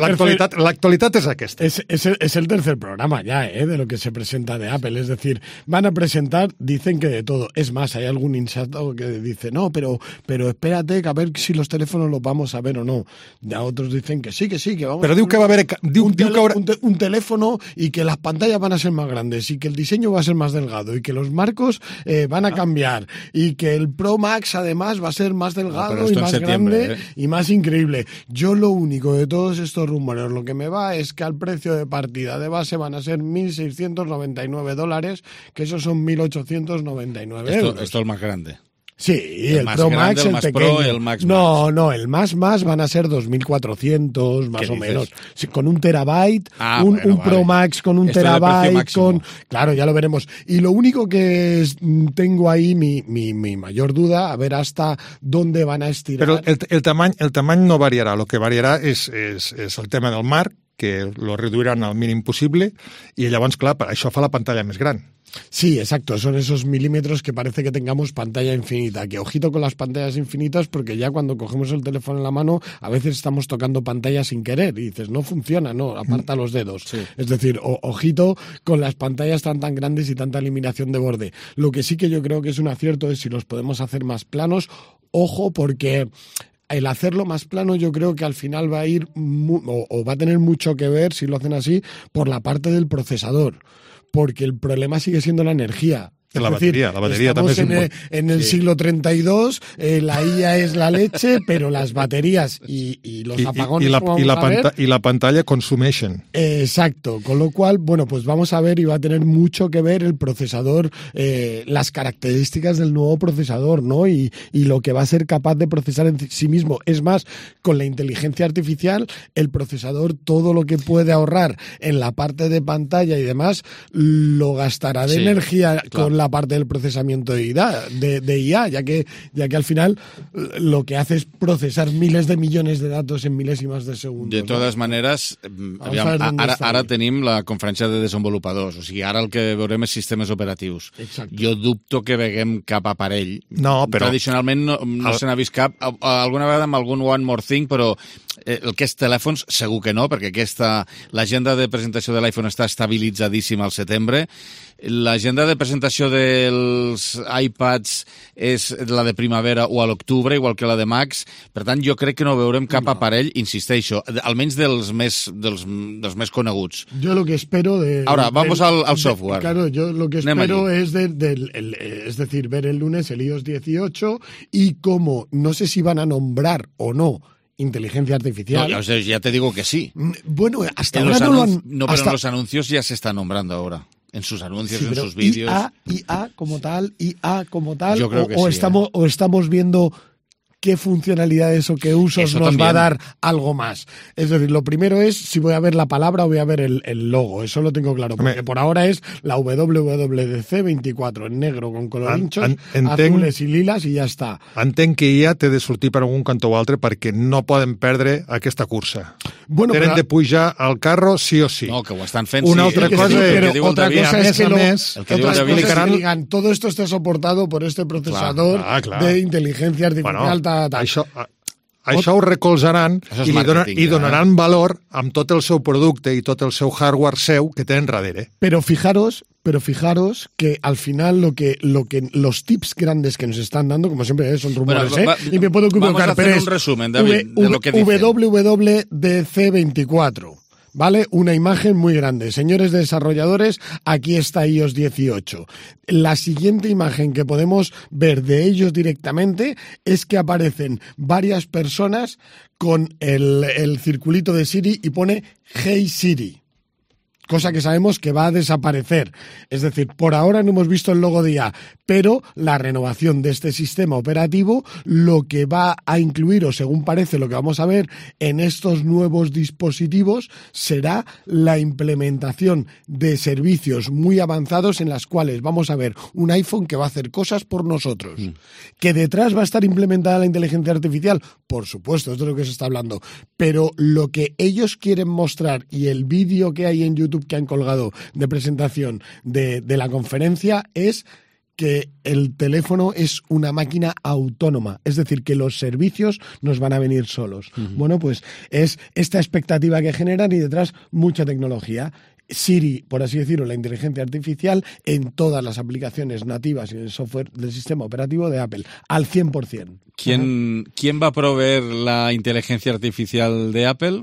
l'actualitat l'actualitat és aquesta. Es, es, el, es el tercer programa ya, ¿eh? De lo que se presenta de Apple. Es decir, van a presentar, dicen que de todo. Es más, hay algún insato que dice, no, pero, pero espérate, que a ver si los teléfonos los vamos a ver o no. Ya otros dicen que sí, que sí, que vamos pero a diu que va a haver diu, un, diu tele, que haurà... un, te, un teléfono y que las pantallas van a ser más grandes y que el diseño va a ser más delgado y que los marcos eh, van a cambiar y que el Pro Max además va a ser más delgado no, y más grande ¿eh? y más increíble. Yo lo único de todos estos rumores, lo que me va es que al precio de partida de base van a ser mil seiscientos noventa y nueve dólares, que esos son mil ochocientos noventa y nueve esto, euros. Esto es el más grande. Sí, el, el más Pro grande, Max, el, el más pequeño. Pro, el Max no, Max. no, el más más van a ser dos mil cuatrocientos más o dices? menos. Sí, con un terabyte, ah, un, bueno, un vale. Pro Max con un Esto terabyte, con... Claro, ya lo veremos. Y lo único que es, tengo ahí, mi, mi, mi mayor duda, a ver hasta dónde van a estirar. Pero el, el, tamany, el tamany no variarà, lo que variarà és, és, és el tema del marc, que lo reduiran al mínim possible, i llavors, clar, això fa la pantalla més gran. Sí, exacto, son esos milímetros que parece que tengamos pantalla infinita, que ojito con las pantallas infinitas porque ya cuando cogemos el teléfono en la mano a veces estamos tocando pantalla sin querer y dices, no funciona, no, aparta los dedos. Sí. Es decir, o, ojito con las pantallas tan tan grandes y tanta eliminación de borde. Lo que sí que yo creo que es un acierto es si los podemos hacer más planos, ojo porque... el hacerlo más plano yo creo que al final va a ir mu- o, o va a tener mucho que ver, si lo hacen así, por la parte del procesador, porque el problema sigue siendo la energía. Es la decir, batería, la batería estamos también en es el, en el sí. siglo treinta y dos, eh, la I A es la leche, pero las baterías y, y los I, apagones... I, la, vamos i, la a ver, panta, I la pantalla consumeixen. Eh, exacto, con lo cual, bueno, pues vamos a ver y va a tener mucho que ver el procesador, eh, las características del nuevo procesador, ¿no? Y, y lo que va a ser capaz de procesar en sí mismo. Es más, con la inteligencia artificial, el procesador, todo lo que puede ahorrar en la parte de pantalla y demás, lo gastará de sí, energía claro. con la parte del procesamiento de I A, de, de I A, ya que, ya que al final lo que hace es procesar miles de millones de datos en milésimas de segundo. De totes ¿no? maneres, aviam, ara, ara tenim la conferència de desenvolupadors, o sigui, ara el que veurem és sistemes operatius. Exacte. Jo dubto que veguem cap aparell. No, però... Tradicionalment no, no el... se n'ha vist cap, alguna vegada amb algun One More Thing, però el que és telèfons segur que no, perquè aquesta l'agenda de presentació de l'iPhone està estabilitzadíssima al setembre. L'agenda de presentació dels iPads és la de primavera o a l'octubre, igual que la de Max. Per tant, jo crec que no veurem cap no. aparell, insisteixo, almenys dels més, dels, dels més coneguts. Yo lo que espero de... Ahora, vamos del, al, al software. De, claro, yo lo que espero es, de, de, el, es decir, ver el lunes el iOS dieciocho y cómo, no sé si van a nombrar o no inteligencia artificial. No, ya te digo que sí. Bueno, hasta en ahora no lo han... No, pero hasta... en los anuncios ya se está nombrando ahora. En sus anuncios, sí, en sus vídeos. I A, I A como tal, I A como tal. Yo creo o, que o sí, estamos, ¿eh? o estamos viendo qué funcionalidades o qué usos Eso nos también. va a dar algo más. Es decir, lo primero es si voy a ver la palabra o voy a ver el, el logo. Eso lo tengo claro. Porque por ahora es la W W D C veinticuatro en negro con colorinchos, en, entenc, azules i liles i ja està. Entenc que I A té de sortir per algun cantó o altre perquè no poden perdre aquesta cursa. Bueno, Tenen però... de pujar al carro sí o sí. No, que ho estan fent. Una sí, altra que cosa, diu, pero que otra David, cosa a es més que, a lo, més, el que otras diu cosas David, que digan todo esto está soportado por este procesador clar, clar, clar. de inteligencia artificial. Bueno, ta, ta. Això, això ho recolzaran i, li donar, i donaran eh? valor amb tot el seu producte i tot el seu hardware seu que tenen darrere. Pero fijaros, pero fijaros que al final lo que, lo que los tips grandes que nos están dando, como siempre ¿eh? son rumores, bueno, va, ¿eh? y me puedo equivocar, vamos a hacer pero un resumen, David, v, de lo que dicen. W W D C veinticuatro. ¿Vale? Una imagen muy grande. Señores desarrolladores, aquí está iOS dieciocho. La siguiente imagen que podemos ver de ellos directamente es que aparecen varias personas con el, el circulito de Siri y pone Hey Siri. Cosa que sabemos que va a desaparecer. Es decir, por ahora no hemos visto el logo de I A, pero la renovación de este sistema operativo lo que va a incluir, o según parece lo que vamos a ver en estos nuevos dispositivos, será la implementación de servicios muy avanzados en las cuales vamos a ver un iPhone que va a hacer cosas por nosotros. Mm. ¿Que detrás va a estar implementada la inteligencia artificial? Por supuesto, esto es lo que se está hablando. Pero lo que ellos quieren mostrar y el vídeo que hay en YouTube que han colgado de presentación de, de la conferencia es que el teléfono es una máquina autónoma, es decir, que los servicios nos van a venir solos. Uh-huh. Bueno, pues es esta expectativa que generan y detrás mucha tecnología. Siri, por así decirlo, la inteligencia artificial en todas las aplicaciones nativas y en el software del sistema operativo de Apple, al cien por ciento. ¿Quién, uh-huh. ¿Quién va a proveer la inteligencia artificial de Apple?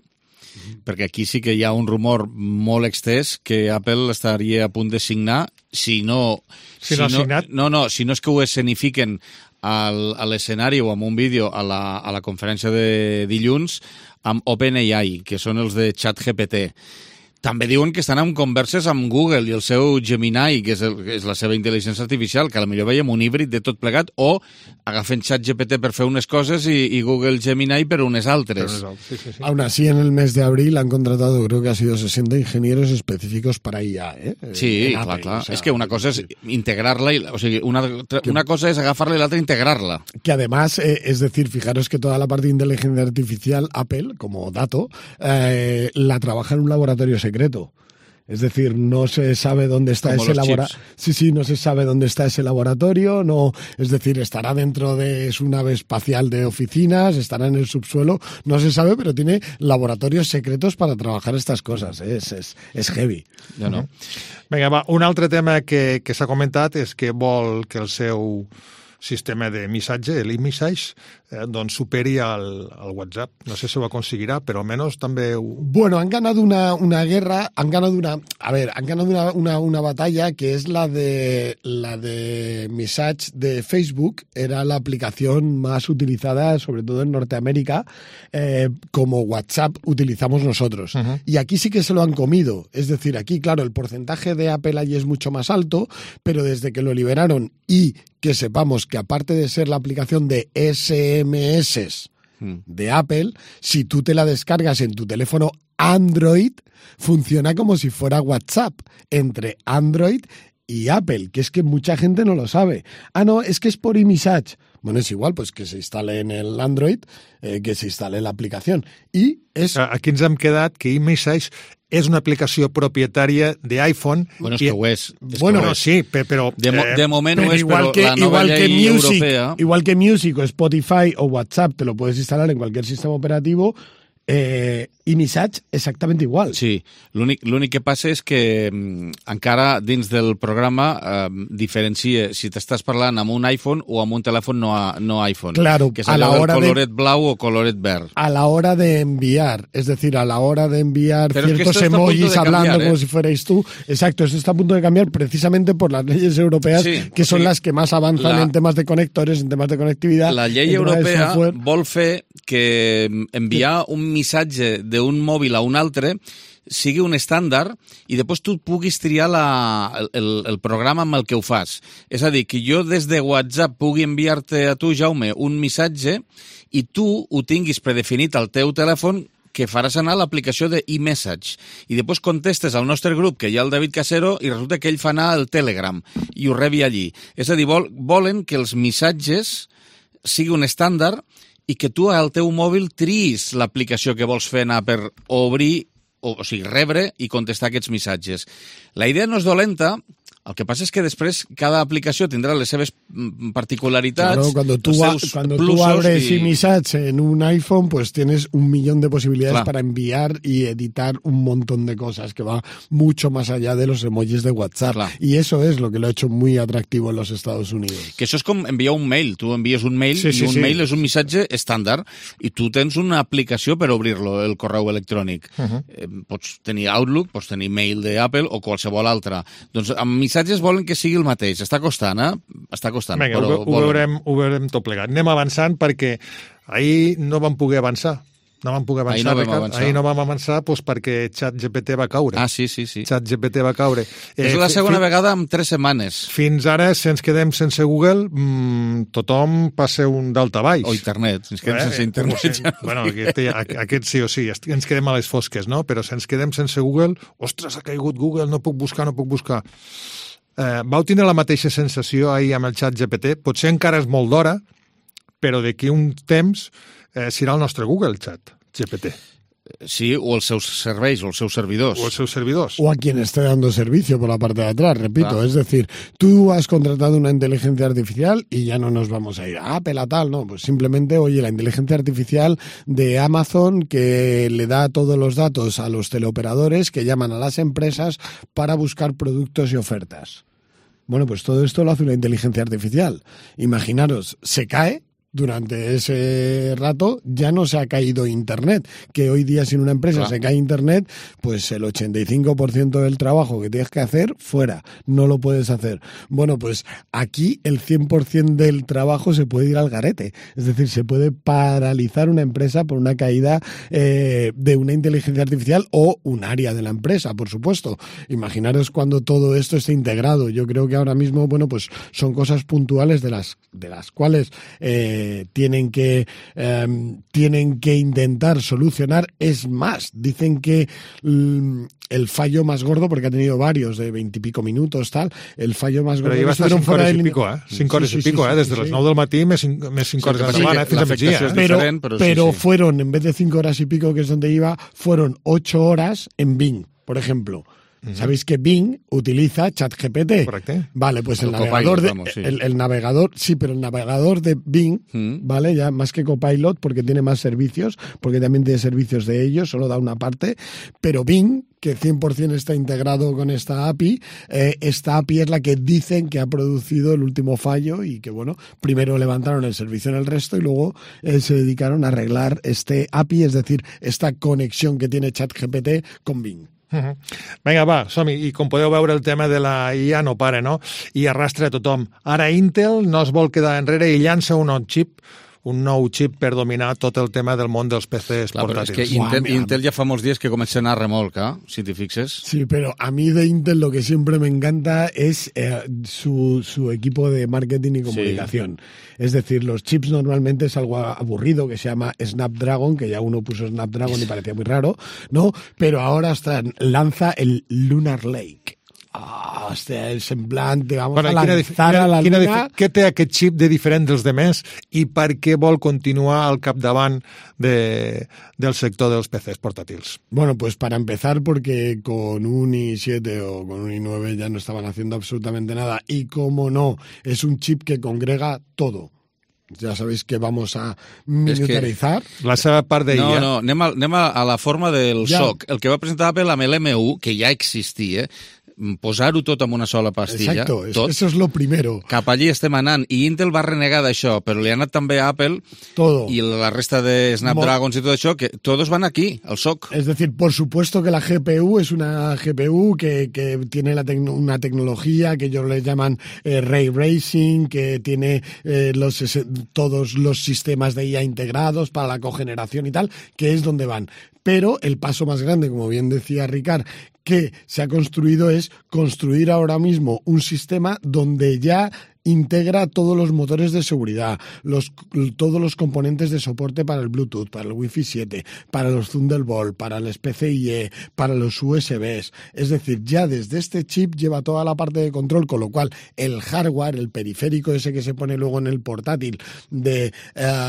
Perquè aquí sí que hi ha un rumor molt extès que Apple estaria a punt de signar si no... Si no assignat. No, no, si no és que ho escenifiquen al, a l'escenari o amb un vídeo a la, a la conferència de dilluns amb OpenAI, que són els de ChatGPT. També diuen que estan en converses amb Google i el seu Gemini, que és, el, que és la seva intel·ligència artificial, que potser veiem un híbrid de tot plegat, o agafen ChatGPT per fer unes coses y, y Google Gemini per unes altres. Sí, sí, sí. Aún así, en el mes de abril han contratado, creo que ha sido sesenta ingenieros específicos para I A. ¿eh? Sí, en clar, Apple, clar. O sea, és que una cosa és integrarla, i, o sigui, una, una cosa és agafar-la i l'altra integrarla. Que además, eh, es decir, fijaros que toda la parte de inteligencia artificial, Apple, como dato, eh, la trabaja en un laboratorio secreto. Es decir, no se sabe dónde está Como ese los laboratorio. Sí, sí, no se sabe dónde está ese laboratorio. No, es decir, estará dentro de su nave espacial de oficinas, estará en el subsuelo. No se sabe, pero tiene laboratorios secretos para trabajar estas cosas. ¿eh? Es, es, es heavy. Ja no. Vinga, va, un altre tema que, que s'ha comentat és que vol que el seu sistema de missatge, l'e-message, eh, doncs superi al, al WhatsApp. No sé si ho aconseguirà, però almenys també... Ho... Bueno, han ganado una, una guerra, han ganado una... A ver, han ganado una, una, una batalla que es la de la de Message de Facebook. Era la aplicación más utilizada, sobre todo en Norteamérica, eh, como WhatsApp utilizamos nosotros. Uh-huh. Y aquí sí que se lo han comido. Es decir, aquí, claro, el porcentaje de Apple ahí es mucho más alto, pero desde que lo liberaron y que sepamos que aparte de ser la aplicación de ese eme ese de Apple, si tú te la descargas en tu teléfono Android, funciona como si fuera WhatsApp entre Android y Apple, que es que mucha gente no lo sabe. Ah, no, es que es por iMessage. Bueno, es igual, pues que se instale en el Android, eh, que se instale la aplicación. Y es... Aquí ens hem quedat que iMessage és una aplicació propietària d'iPhone. Bueno, és que ho és. és bueno, ho no, és. sí, però... De, mo de moment ho és, igual però que, la nova igual llei que Music, europea... Igual que Music o Spotify o WhatsApp te lo puedes instalar en cualquier sistema operativo, eh, iMessage exactament igual. Sí, l'únic que passa és que mm, encara dins del programa eh, diferencia si t'estàs parlant amb un iPhone o amb un telèfon no, a, no iPhone. Claro, que és a la allò hora del coloret de, blau o coloret verd. A la hora de enviar, es decir, a la hora de enviar Pero ciertos es que emojis de hablando cambiar, ¿eh? como si fuerais tú. Exacto, esto está a punto de cambiar precisamente por las leyes europeas, sí, que son sí. las que más avanzan La, en temas de conectores, en temas de conectividad. La llei europea vol fer que enviar un missatge d'un mòbil a un altre sigui un estàndard i després tu puguis triar la, el, el programa amb el que ho fas. És a dir, que jo des de WhatsApp pugui enviar-te a tu, Jaume, un missatge i tu ho tinguis predefinit al teu telèfon que faràs anar l'aplicació de iMessage. I després contestes al nostre grup, que hi ha el David Casero, i resulta que ell fa anar el Telegram i ho rebi allí. És a dir, vol, volen que els missatges sigui un estàndard i que tu al teu mòbil triïs l'aplicació que vols fer anar per obrir, o, o sigui, rebre i contestar aquests missatges. La idea no és dolenta, el que pasa es que después cada aplicación tendrá las seves particularidades. Claro, cuando tú, cuando tú abres y... iMessage en un iPhone, pues tienes un millón de posibilidades claro. para enviar y editar un montón de cosas que va mucho más allá de los emojis de WhatsApp. Claro. Y eso es lo que lo ha hecho muy atractivo en los Estados Unidos. Que eso es como enviar un mail. Tú envías un mail sí, y sí, un sí. mail es un missatge estàndard i tu tens una aplicació per obrir-lo, el correu electrònic. Uh-huh. eh, pots tenir Outlook, pots tenir mail d'Apple o qualsevol altra. Doncs amb missatges volen que sigui el mateix. Està costant, eh? Està costant. Vinga, però ho, ho, veurem, ho veurem tot plegat. Anem avançant perquè ahir no vam poder avançar. No vam poder avançar, ahir no vam Ricard. avançar. Ahir no vam avançar doncs, perquè ChatGPT va caure. Ah, sí, sí, sí. ChatGPT va caure. És eh, la segona fi... vegada en tres setmanes. Fins ara, si ens quedem sense Google, mmm, tothom passa un daltabaix. O internet. Si ens quedem eh, sense internet. Eh, ja bueno, aquest, aquest sí o sí, ens quedem a les fosques, no? Però si ens quedem sense Google, ostres, ha caigut Google, no puc buscar, no puc buscar. Eh, vau tindre la mateixa sensació ahir amb el ChatGPT? Potser encara és molt d'hora, però d'aquí un temps eh, serà el nostre Google Chat G P T. Sí, o els seus serveis, o els seus servidors. O els seus servidors. O a quien esté dando servicio por la parte de atrás, repito. Ah. Es decir, tú has contratado una inteligencia artificial y ya no nos vamos a ir a Apple a tal, no. Pues simplemente, oye, la inteligencia artificial de Amazon que le da todos los datos a los teleoperadores que llaman a las empresas para buscar productos y ofertas. Bueno, pues todo esto lo hace una inteligencia artificial. Imaginaros, se cae durante ese rato ya no se ha caído Internet, que hoy día si en una empresa claro. se cae Internet, pues el ochenta y cinco por ciento del trabajo que tienes que hacer, fuera, no lo puedes hacer. Bueno, pues aquí el cien por ciento del trabajo se puede ir al garete, es decir, se puede paralizar una empresa por una caída eh, de una inteligencia artificial o un área de la empresa, por supuesto. Imaginaros cuando todo esto esté integrado. Yo creo que ahora mismo, bueno, pues son cosas puntuales de las, de las cuales eh, tienen que eh, tienen que intentar solucionar. Es más, dicen que mm, el fallo más gordo, porque ha tenido varios de veintipico minutos, tal, el fallo más gordo... Però lleva hasta cinc hores i pico, eh? cinc hores sí, sí, i pico, sí, eh? Des de sí, les sí. nou del matí més cinc, més cinc hores sí, de la setmana, fins a migdia. Es pero pero, pero sí, sí. fueron, en vez de cinco horas y pico, que es donde iba, fueron ocho horas en Bing, por ejemplo. Uh-huh. Sabéis que Bing utiliza ChatGPT. Correcto. Vale, pues el, el navegador de, vamos, sí. el, el navegador, sí, pero el navegador de Bing, uh-huh. vale, ya más que Copilot, porque tiene más servicios, porque también tiene servicios de ellos, solo da una parte, pero Bing, que cien por ciento está integrado con esta A P I, eh, esta A P I es la que dicen que ha producido el último fallo y que, bueno, primero levantaron el servicio en el resto y luego eh, se dedicaron a arreglar este A P I, es decir, esta conexión que tiene ChatGPT con Bing. Uh-huh. Vinga, va, som-hi. I com podeu veure, el tema de la I A no para, no? I arrastra a tothom. Ara Intel no es vol quedar enrere i llança un nou xip, un nou xip per dominar tot el tema del món dels P Cs Clar, portàtils. És que Intel, Intel ya fa molts días que comença a anar a remolca, si te fixes. Sí, pero a mí de Intel lo que siempre me encanta es eh, su, su equipo de marketing y comunicación. Sí. Es decir, los chips normalmente es algo aburrido que se llama Snapdragon, que ya uno puso Snapdragon y parecía muy raro, ¿no? Pero ahora hasta lanza el Lunar Lake. Ah, oh, hòstia, el semblant, vamos bueno, a lanzar quina, a la quina, luna... Què té aquest xip de diferent dels demés i per què vol continuar al capdavant de, del sector dels P Cs portàtils? Bueno, pues para empezar, porque con un i siete o con un i nueve ya no estaban haciendo absolutamente nada. Y como no, es un chip que congrega todo. Ja sabéis que vamos a militarizar. Es que la seva part de I A. No, no, anem a, anem a la forma del ja. S O C. El que va presentar Apple amb l'M u, que ja existia, posar-ho tot en una sola pastilla. Exacto, tot, eso es lo primero. Cap allí estem anant. I Intel va renegar d'això, però li ha anat també a Apple todo. Y la resta de Snapdragons Mo- y todo eso, que todos van aquí, al S O C. Es decir, por supuesto que la G P U es una G P U que, que tiene la tec- una tecnología que ellos le llaman eh, Ray Tracing, que tiene eh, los, ese, todos los sistemas de I A integrados para la cogeneración y tal, que es donde van. Pero el paso más grande, como bien decía Ricard, que se ha construido es construir ahora mismo un sistema donde ya integra todos los motores de seguridad, los, todos los componentes de soporte para el Bluetooth, para el Wi-Fi siete, para los Thunderbolt, para el P C I E, para los U S Bs. Es decir, ya desde este chip lleva toda la parte de control, con lo cual el hardware, el periférico ese que se pone luego en el portátil, de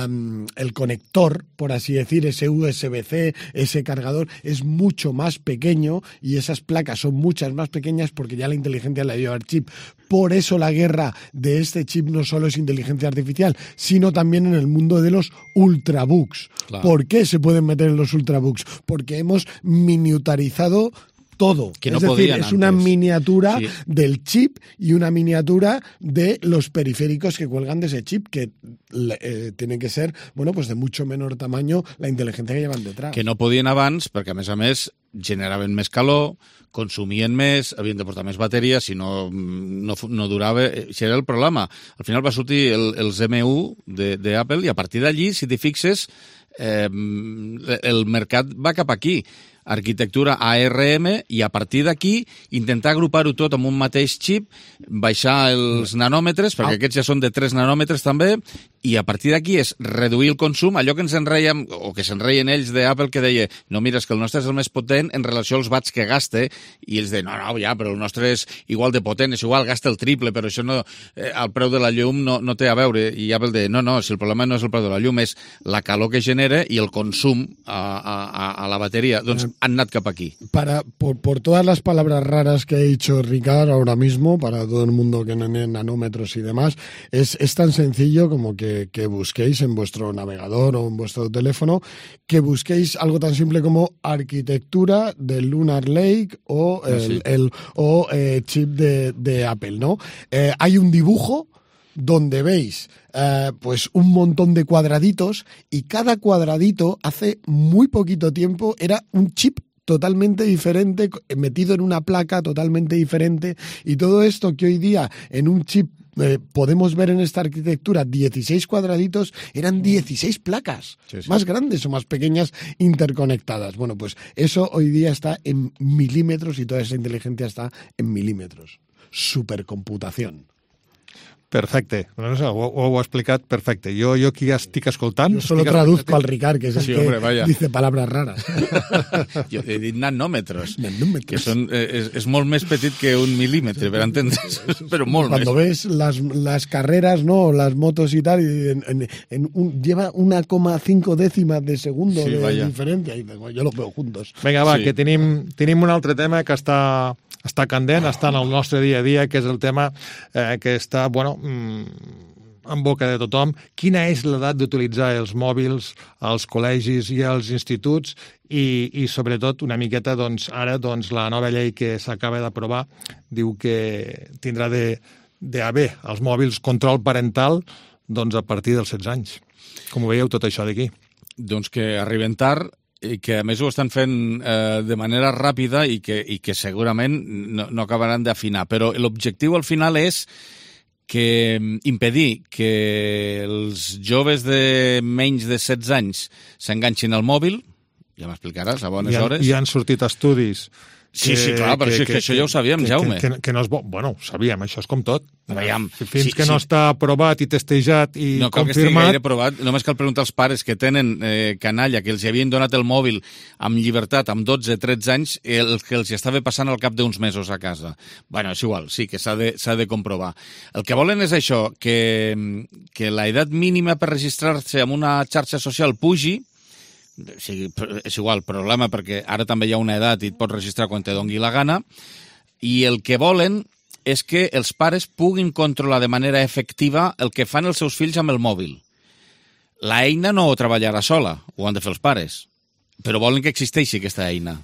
um, el conector, por así decir, ese U S B C, ese cargador, es mucho más pequeño y esas placas son muchas más pequeñas porque ya la inteligencia la lleva el chip. Por eso la guerra de este chip no solo es inteligencia artificial, sino también en el mundo de los ultrabooks. Claro. ¿Por qué se pueden meter en los ultrabooks? Porque hemos miniaturizado todo. Que no es decir, es antes. una miniatura sí. del chip y una miniatura de los periféricos que cuelgan de ese chip, que eh, tienen que ser, bueno, pues de mucho menor tamaño la inteligencia que llevan detrás. Que no podien abans, perquè a més a més generaven més calor, consumien més, havien de portar més bateria, si no, no, no durava... Això era el problema. Al final va sortir el, els M u d'Apple i a partir d'allí, si t'hi fixes, eh, el mercat va cap aquí. Arquitectura A R M i a partir d'aquí intentar agrupar-ho tot amb un mateix xip, baixar els nanòmetres, perquè aquests ja són de tres nanòmetres també, i a partir d'aquí és reduir el consum, allò que ens enreiem, o que s'enreien ells d'Apple, que deia, no, mira, és que el nostre és el més potent en relació als watts que gaste, i ells deien, no, no, ja, però el nostre és igual de potent, és igual, gasta el triple, però això no, eh, el preu de la llum no, no té a veure, i Apple deia, no, no, si el problema no és el preu de la llum, és la calor que genera i el consum a, a, a la bateria. Doncs han anat cap aquí. Para, por, por todas las palabras raras que ha dicho Ricard ahora mismo, para todo el mundo que no tiene nanómetros y demás, es, es tan sencillo como que, que busquéis en vuestro navegador o en vuestro teléfono, que busquéis algo tan simple como arquitectura del Lunar Lake o el, sí. el o, eh, chip de, de Apple, ¿no? Eh, hay un dibujo donde veis eh, pues un montón de cuadraditos y cada cuadradito hace muy poquito tiempo era un chip totalmente diferente, metido en una placa totalmente diferente, y todo esto que hoy día en un chip eh, podemos ver en esta arquitectura dieciséis cuadraditos, eran dieciséis placas, sí, sí. más grandes o más pequeñas interconectadas. Bueno, pues eso hoy día está en milímetros y toda esa inteligencia está en milímetros. Supercomputación. Perfecte, no sé, ho, ho heu explicat perfecte. Jo, jo aquí estic escoltant... Yo solo traduzco al Ricard, que es el sí, que hombre, vaya. dice palabras raras. Jo he dit nanòmetres, nanòmetres. que són, eh, és, és molt més petit que un milímetre, per entendre's, però molt Cuando més. ves las, las carreras, ¿no? Las motos y tal, y en, en, en un, lleva una coma cinco décimas de segundo sí, de vaya. diferencia, y yo los veo juntos. Vinga, va, sí. que tenim, tenim un altre tema que està... està candent, està en el nostre dia a dia, que és el tema eh, que està, bueno, en boca de tothom. Quina és l'edat d'utilitzar els mòbils als col·legis i als instituts i, i sobretot, una miqueta, doncs, ara doncs, la nova llei que s'acaba d'aprovar diu que tindrà de, de haver als mòbils control parental doncs, a partir dels setze anys. Com ho veieu tot això d'aquí? Doncs que arriben tard i que a més ho estan fent eh, de manera ràpida i que, i que segurament no, no acabaran d'afinar. Però l'objectiu al final és que impedir que els joves de menys de setze anys s'enganxin al mòbil, ja m'explicaràs a bones I han, hores. I han sortit estudis... Sí, sí, clar, però que, això, que, això ja ho sabíem, que, Jaume. Que, que, que no és bo. Bueno, ho sabíem, això és com tot. Veiem, Fins sí, que sí. no està aprovat i testejat i no cal confirmat... que estigui gaire aprovat, només cal preguntar als pares que tenen eh, canalla, que els havien donat el mòbil amb llibertat, amb dotze tretze anys, el que els estava passant al cap d'uns mesos a casa. Bueno, és igual, sí, que s'ha de, s'ha de comprovar. El que volen és això, que, que la edat mínima per registrar-se en una xarxa social pugi. Sí, és igual, problema, perquè ara també hi ha una edat i et pots registrar quan te dongui la gana, i el que volen és que els pares puguin controlar de manera efectiva el que fan els seus fills amb el mòbil. La eina no ho treballarà sola, ho han de fer els pares, però volen que existeixi aquesta eina.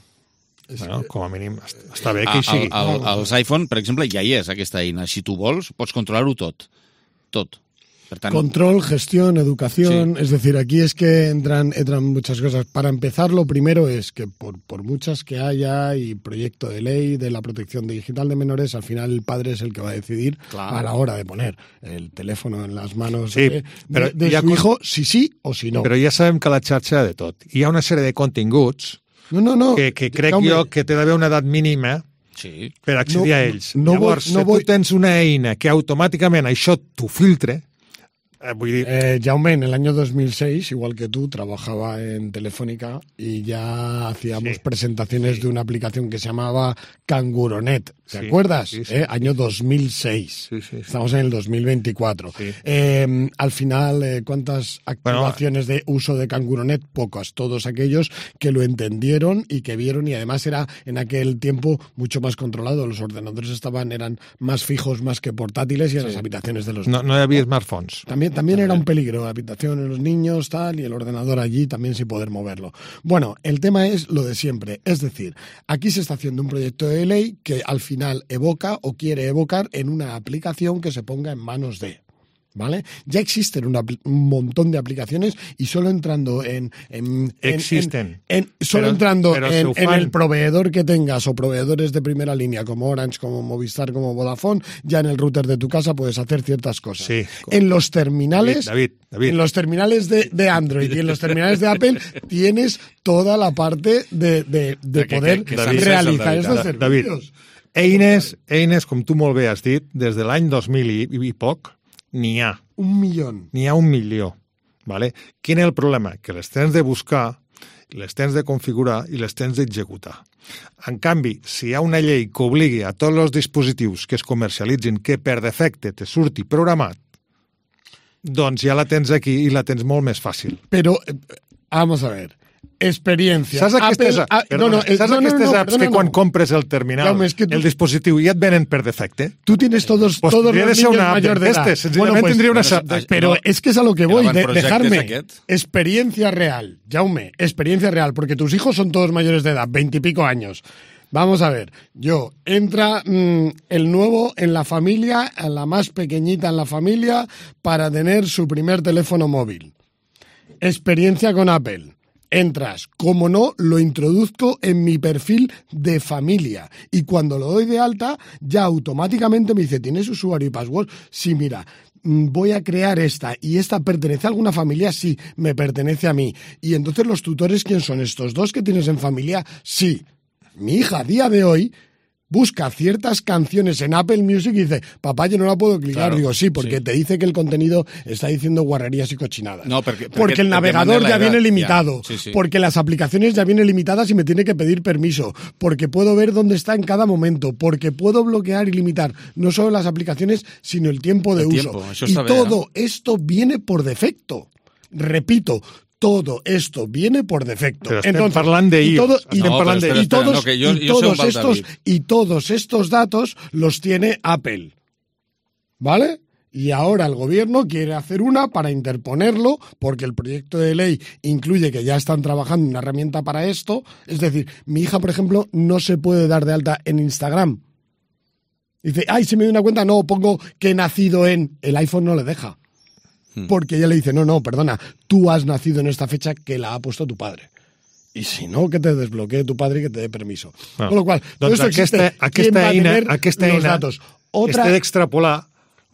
Bueno, com a mínim, està bé que hi sigui. Al, al, als iPhone, per exemple, ja hi és aquesta eina. Si tu vols, pots controlar-ho tot. Tot. Tant... Control, gestión, educación, sí. Es decir, aquí es que entran, entran muchas cosas. Para empezar, lo primero es que por, por muchas que haya y proyecto de ley de la protección digital de menores, al final el padre es el que va a decidir claro. a la hora de poner el teléfono en las manos sí, de, de, de su con... hijo, si sí o si no. Però ja sabem que la xarxa ha de tot. Hi ha una sèrie de continguts no, no, no. que, que crec Jaume. jo que té d'haver una edat mínima sí. per accedir no, a ells. No, Llavors, no si voy... tu tens una eina que automàticament això t'ho filtre, Eh, voy a decir... eh, Jaume, en el año dos mil seis, igual que tú, trabajaba en Telefónica y ya hacíamos sí, presentaciones sí. de una aplicación que se llamaba Canguronet. ¿Te sí, acuerdas? Sí, sí, eh, año dos mil seis. Sí, sí, sí. Estamos en el dos mil veinticuatro. Sí. Eh, al final, eh, ¿cuántas activaciones bueno, de uso de Canguronet? Pocas. Todos aquellos que lo entendieron y que vieron, y además era en aquel tiempo mucho más controlado. Los ordenadores estaban eran más fijos más que portátiles y en sí. las habitaciones de los no, no había smartphones. También También era un peligro, la habitación en los niños, tal, y el ordenador allí también sin poder moverlo. Bueno, el tema es lo de siempre. Es decir, aquí se está haciendo un proyecto de ley que al final evoca o quiere evocar en una aplicación que se ponga en manos de... ¿Vale? Ya existen una, un montón de aplicaciones y solo entrando en... en existen. En, en, solo pero, entrando pero en, en el proveedor que tengas o proveedores de primera línea como Orange, como Movistar, como Vodafone, ya en el router de tu casa puedes hacer ciertas cosas. Sí. En los terminales... David, David, David. En los terminales de, de Android y en los terminales de Apple tienes toda la parte de, de, de poder que, que, que realizar David, estos David, servicios. David, eines, eines, com tu molt bé has dit, des de l'any dos mil i, i poc, n'hi ha. Un milió. N'hi ha un milió. Vale? Quin és el problema? Que les tens de buscar, les tens de configurar i les tens d'executar. En canvi, si hi ha una llei que obligui a tots els dispositius que es comercialitzin que per defecte te surti programat, doncs ja la tens aquí i la tens molt més fàcil. Però, vamos a ver... Experiencia. Saps aquestes, Apple, a, perdona, no, no, saps no, aquestes no, no, apps no, no, que quan no. compres el terminal, no, es que tu, el dispositiu, ja et venen per defecte? Tú tienes todos, pues todos los niños mayores de edad. Bueno, pues, tendría una pero, pero es que es a lo que voy, de, dejarme experiencia real, Jaume, experiencia real, porque tus hijos son todos mayores de edad, veintipico años. Vamos a ver, yo, entra mmm, el nuevo en la familia, la más pequeñita en la familia, para tener su primer teléfono móvil. Experiencia con Apple. Entras, como no, lo introduzco en mi perfil de familia y cuando lo doy de alta, ya automáticamente me dice, ¿tienes usuario y password? Sí, mira, voy a crear esta y esta pertenece a alguna familia, sí, me pertenece a mí. Y entonces los tutores, ¿quién son? ¿Estos dos que tienes en familia? Sí. Mi hija a día de hoy busca ciertas canciones en Apple Music y dice, papá, yo no la puedo clicar. Claro, digo, sí, porque sí. Te dice que el contenido está diciendo guarrerías y cochinadas. No, porque, porque, porque el navegador ya viene limitado. Sí, sí. Porque las aplicaciones ya vienen limitadas y me tiene que pedir permiso. Porque puedo ver dónde está en cada momento. Porque puedo bloquear y limitar no solo las aplicaciones, sino el tiempo de el uso. Tiempo, això y està bé, todo eh? esto viene por defecto. Repito, todo esto viene por defecto. Però estem Entonces, parlant de y, todo, iOS. y, No, parlant espera, de, y espera, todos, no, que yo- y yo sé un todos val, estos David. y todos estos datos los tiene Apple, ¿vale? Y ahora el gobierno quiere hacer una para interponerlo, porque el proyecto de ley incluye que ya están trabajando en una herramienta para esto. Es decir, mi hija, por ejemplo, no se puede dar de alta en Instagram. Dice, ay, si me doy una cuenta, no, pongo que he nacido en... El iPhone no le deja. Porque ella le dice, no, no, perdona, tú has nacido en esta fecha que la ha puesto tu padre. Y si no, que te desbloquee tu padre y que te dé permiso. No. Con lo cual, todo Doncs esto existe. aquesta, aquesta ¿Quién va a eina, tener aquesta los eina datos? Otra, es té d'extrapolar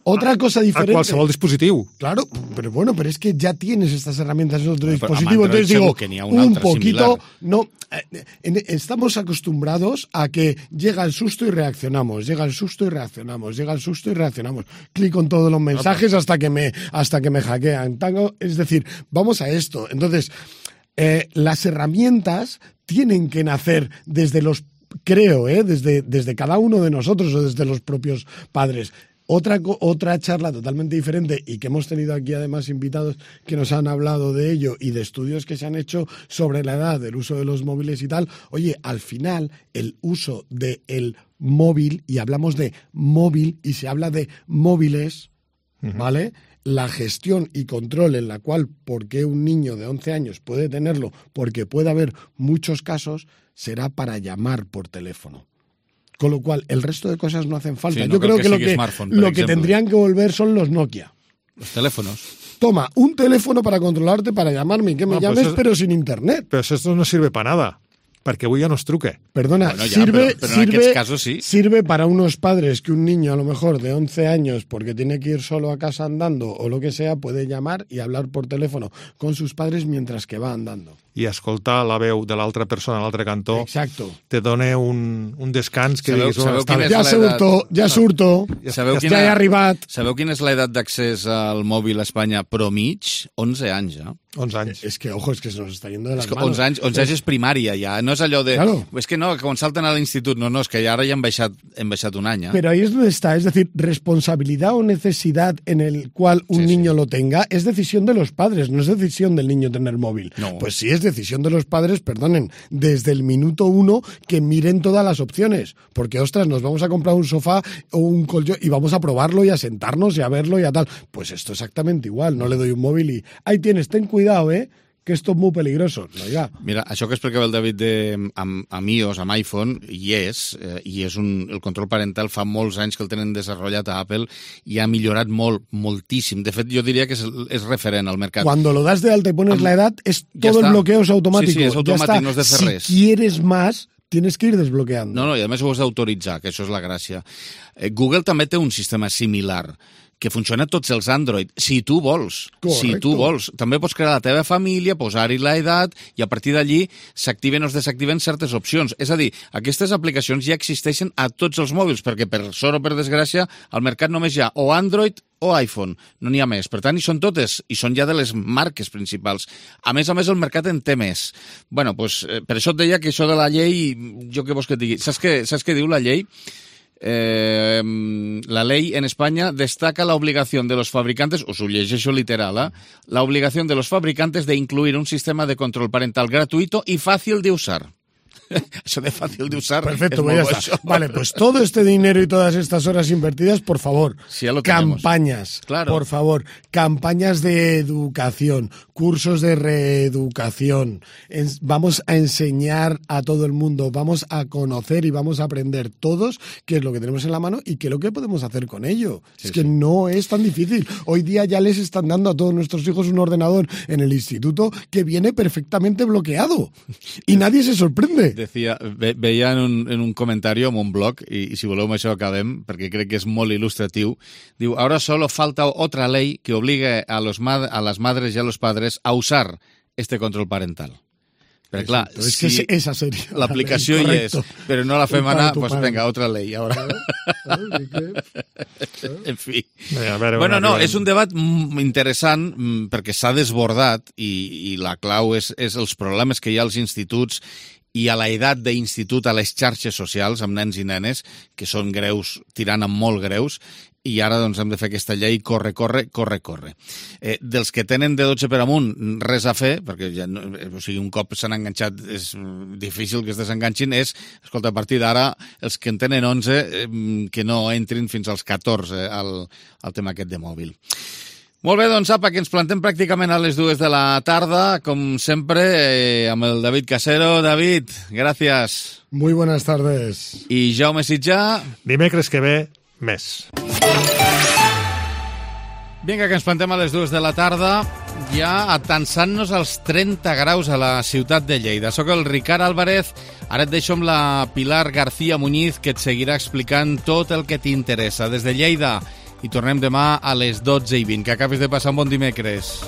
otra cosa diferente. a qualsevol dispositiu. Claro, pero bueno, pero es que ya tienes estas herramientas en otro Bueno, pero dispositivo. amb Android Entonces digo, segur que n'hi ha una un altra poquito, similar. no, eh, en- estamos acostumbrados a que llega el susto y reaccionamos, llega el susto y reaccionamos, llega el susto y reaccionamos. Clic en todos los mensajes hasta que me, hasta que me hackean. Tango, es decir, vamos a esto. Entonces, eh, las herramientas tienen que nacer desde los, creo, eh, desde, desde cada uno de nosotros o desde los propios padres. Otra, co- otra charla totalmente diferente y que hemos tenido aquí además invitados que nos han hablado de ello y de estudios que se han hecho sobre la edad del uso de los móviles y tal. Oye, al final el uso del móvil, y hablamos de móvil y se habla de móviles, ¿vale? La gestión y control en la cual, porque un niño de once años puede tenerlo, porque puede haber muchos casos, será para llamar por teléfono. Con lo cual, el resto de cosas no hacen falta. Sí, no Yo creo creo que que, lo, sigui que, smartphone, per lo que exemple. tendrían que volver son los Nokia. Los teléfonos. Toma, un teléfono para controlarte, para llamarme y que me No, pues llames, eso- pero sin internet. Però això no sirve para nada, perquè avui ja no es truque. Perdona, Bueno, ya, sirve, pero- pero en sirve, aquests casos sí. sirve para unos padres que un niño a lo mejor de once años, porque tiene que ir solo a casa andando o lo que sea, puede llamar y hablar por teléfono con sus padres mientras que va andando. I escoltar la veu de l'altra persona a l'altre cantó Exacto. te dona un, un descans que Sabeu- diguis... sabeu "Oh, està quina bé". és Ja l'edat? surto, ja surto, Sabeu ja he arribat. Sabeu quina és l'edat d'accés al mòbil a Espanya pro mig? onze anys, ja. onze anys. Es que, ojo, es que se nos está yendo de las És que manos. onze anys, onze anys és primària, ja. No és allò de... Claro. És que no, que quan salten a l'institut, no, no, és que ja ara ja hem baixat, hem baixat un any, ja. Pero ahí es donde está, es decir, responsabilidad o necesidad en el cual un Sí, sí. niño lo tenga es decisión de los padres, no es decisión del niño tener móvil. No. Pues sí es decisión de los padres, perdonen, desde el minuto uno que miren todas las opciones, porque ostras, nos vamos a comprar un sofá o un colchón y vamos a probarlo y a sentarnos y a verlo y a tal. Pues esto exactamente igual, no le doy un móvil y ahí tienes, ten cuidado, eh, que esto es muy peligroso. No, ya. Mira, això que explicava el David de, amb, amb iOS, amb iPhone, hi és, eh, i és un, el control parental fa molts anys que el tenen desenvolupat a Apple i ha millorat molt, moltíssim. De fet, jo diria que és, és referent al mercat. Cuando lo das de alta y pones Am- la edad, es ya todo el está. bloqueo es automático. Sí, sí, es Ya automático, está. no has de fer si res. quieres más, tienes que ir desbloqueando. No, no, i a més ho has d'autoritzar, que això és la gràcia. Eh, Google també té un sistema similar, que funciona a tots els Android, si tu vols. Correcto. Si tu vols. També pots crear la teva família, posar-hi l'edat, i a partir d'allí s'activen o es desactiven certes opcions. És a dir, aquestes aplicacions ja existeixen a tots els mòbils, perquè per sort o per desgràcia al mercat només hi ha o Android o iPhone, no n'hi ha més. Per tant, hi són totes, i són ja de les marques principals. A més a més, el mercat en té més. Bueno, pues, eh, per això et deia que això de la llei, jo què vols que et digui? Saps què, saps què diu la llei? Eh, la ley en España destaca la obligación de los fabricantes, os ho llegeixo literal, ¿eh? La obligación de los fabricantes de incluir un sistema de control parental gratuito y fácil de usar. Eso de fácil de usar. Perfecto, es pues ya molt está. bo, això. Vale, pues todo este dinero y todas estas horas invertidas, por favor, Sí, ya lo tenemos. campañas, Claro. por favor, campañas de educación. cursos de reeducación, en- vamos a enseñar a todo el mundo, vamos a conocer y vamos a aprender todos qué es lo que tenemos en la mano y qué es lo que podemos hacer con ello. Sí, es que sí. no es tan difícil. Hoy día ya les están dando a todos nuestros hijos un ordenador en el instituto que viene perfectamente bloqueado y nadie se sorprende. Decía, ve, veia en un, en un comentari en un blog, i, i si voleu amb això acabem, perquè crec que és molt il·lustratiu, diu, ahora solo falta otra ley que obligue a, los mad a las madres y a los padres a usar este control parental. Però clar, Exacto, es que si esa sería la l'aplicació ley, hi és, correcto. però no la fem Culpa de anar, tu pues padre. venga, otra ley. Ahora. En fi. Bé, a veure, Bueno, una no, que- és un debat mm, interessant mm, perquè s'ha desbordat i, i la clau és, és els problemes que hi ha als instituts i a l'edat d'institut a les xarxes socials amb nens i nenes, que són greus, tirant amb molt greus, i ara doncs hem de fer aquesta llei corre, corre, corre, corre. Eh, dels que tenen de dotze per amunt, res a fer, perquè ja no, o sigui, un cop s'han enganxat és difícil que es desenganxin, és, escolta, a partir d'ara, els que en tenen onze, eh, que no entrin fins als catorze al, al tema aquest de mòbil. Molt bé, doncs apa, que ens plantem pràcticament a les dues de la tarda, com sempre, eh, amb el David Casero. David, gràcies. Muy buenas tardes. I Jaume Sitjà. Dimecres que ve, més. Vinga, que ens plantem a les dues de la tarda, ja atansant-nos als trenta graus a la ciutat de Lleida. Soc el Ricard Álvarez, ara et deixo amb la Pilar García Muñiz, que et seguirà explicant tot el que t'interessa des de Lleida. I tornem demà a les dotze i vint. Que acabis de passar un bon dimecres.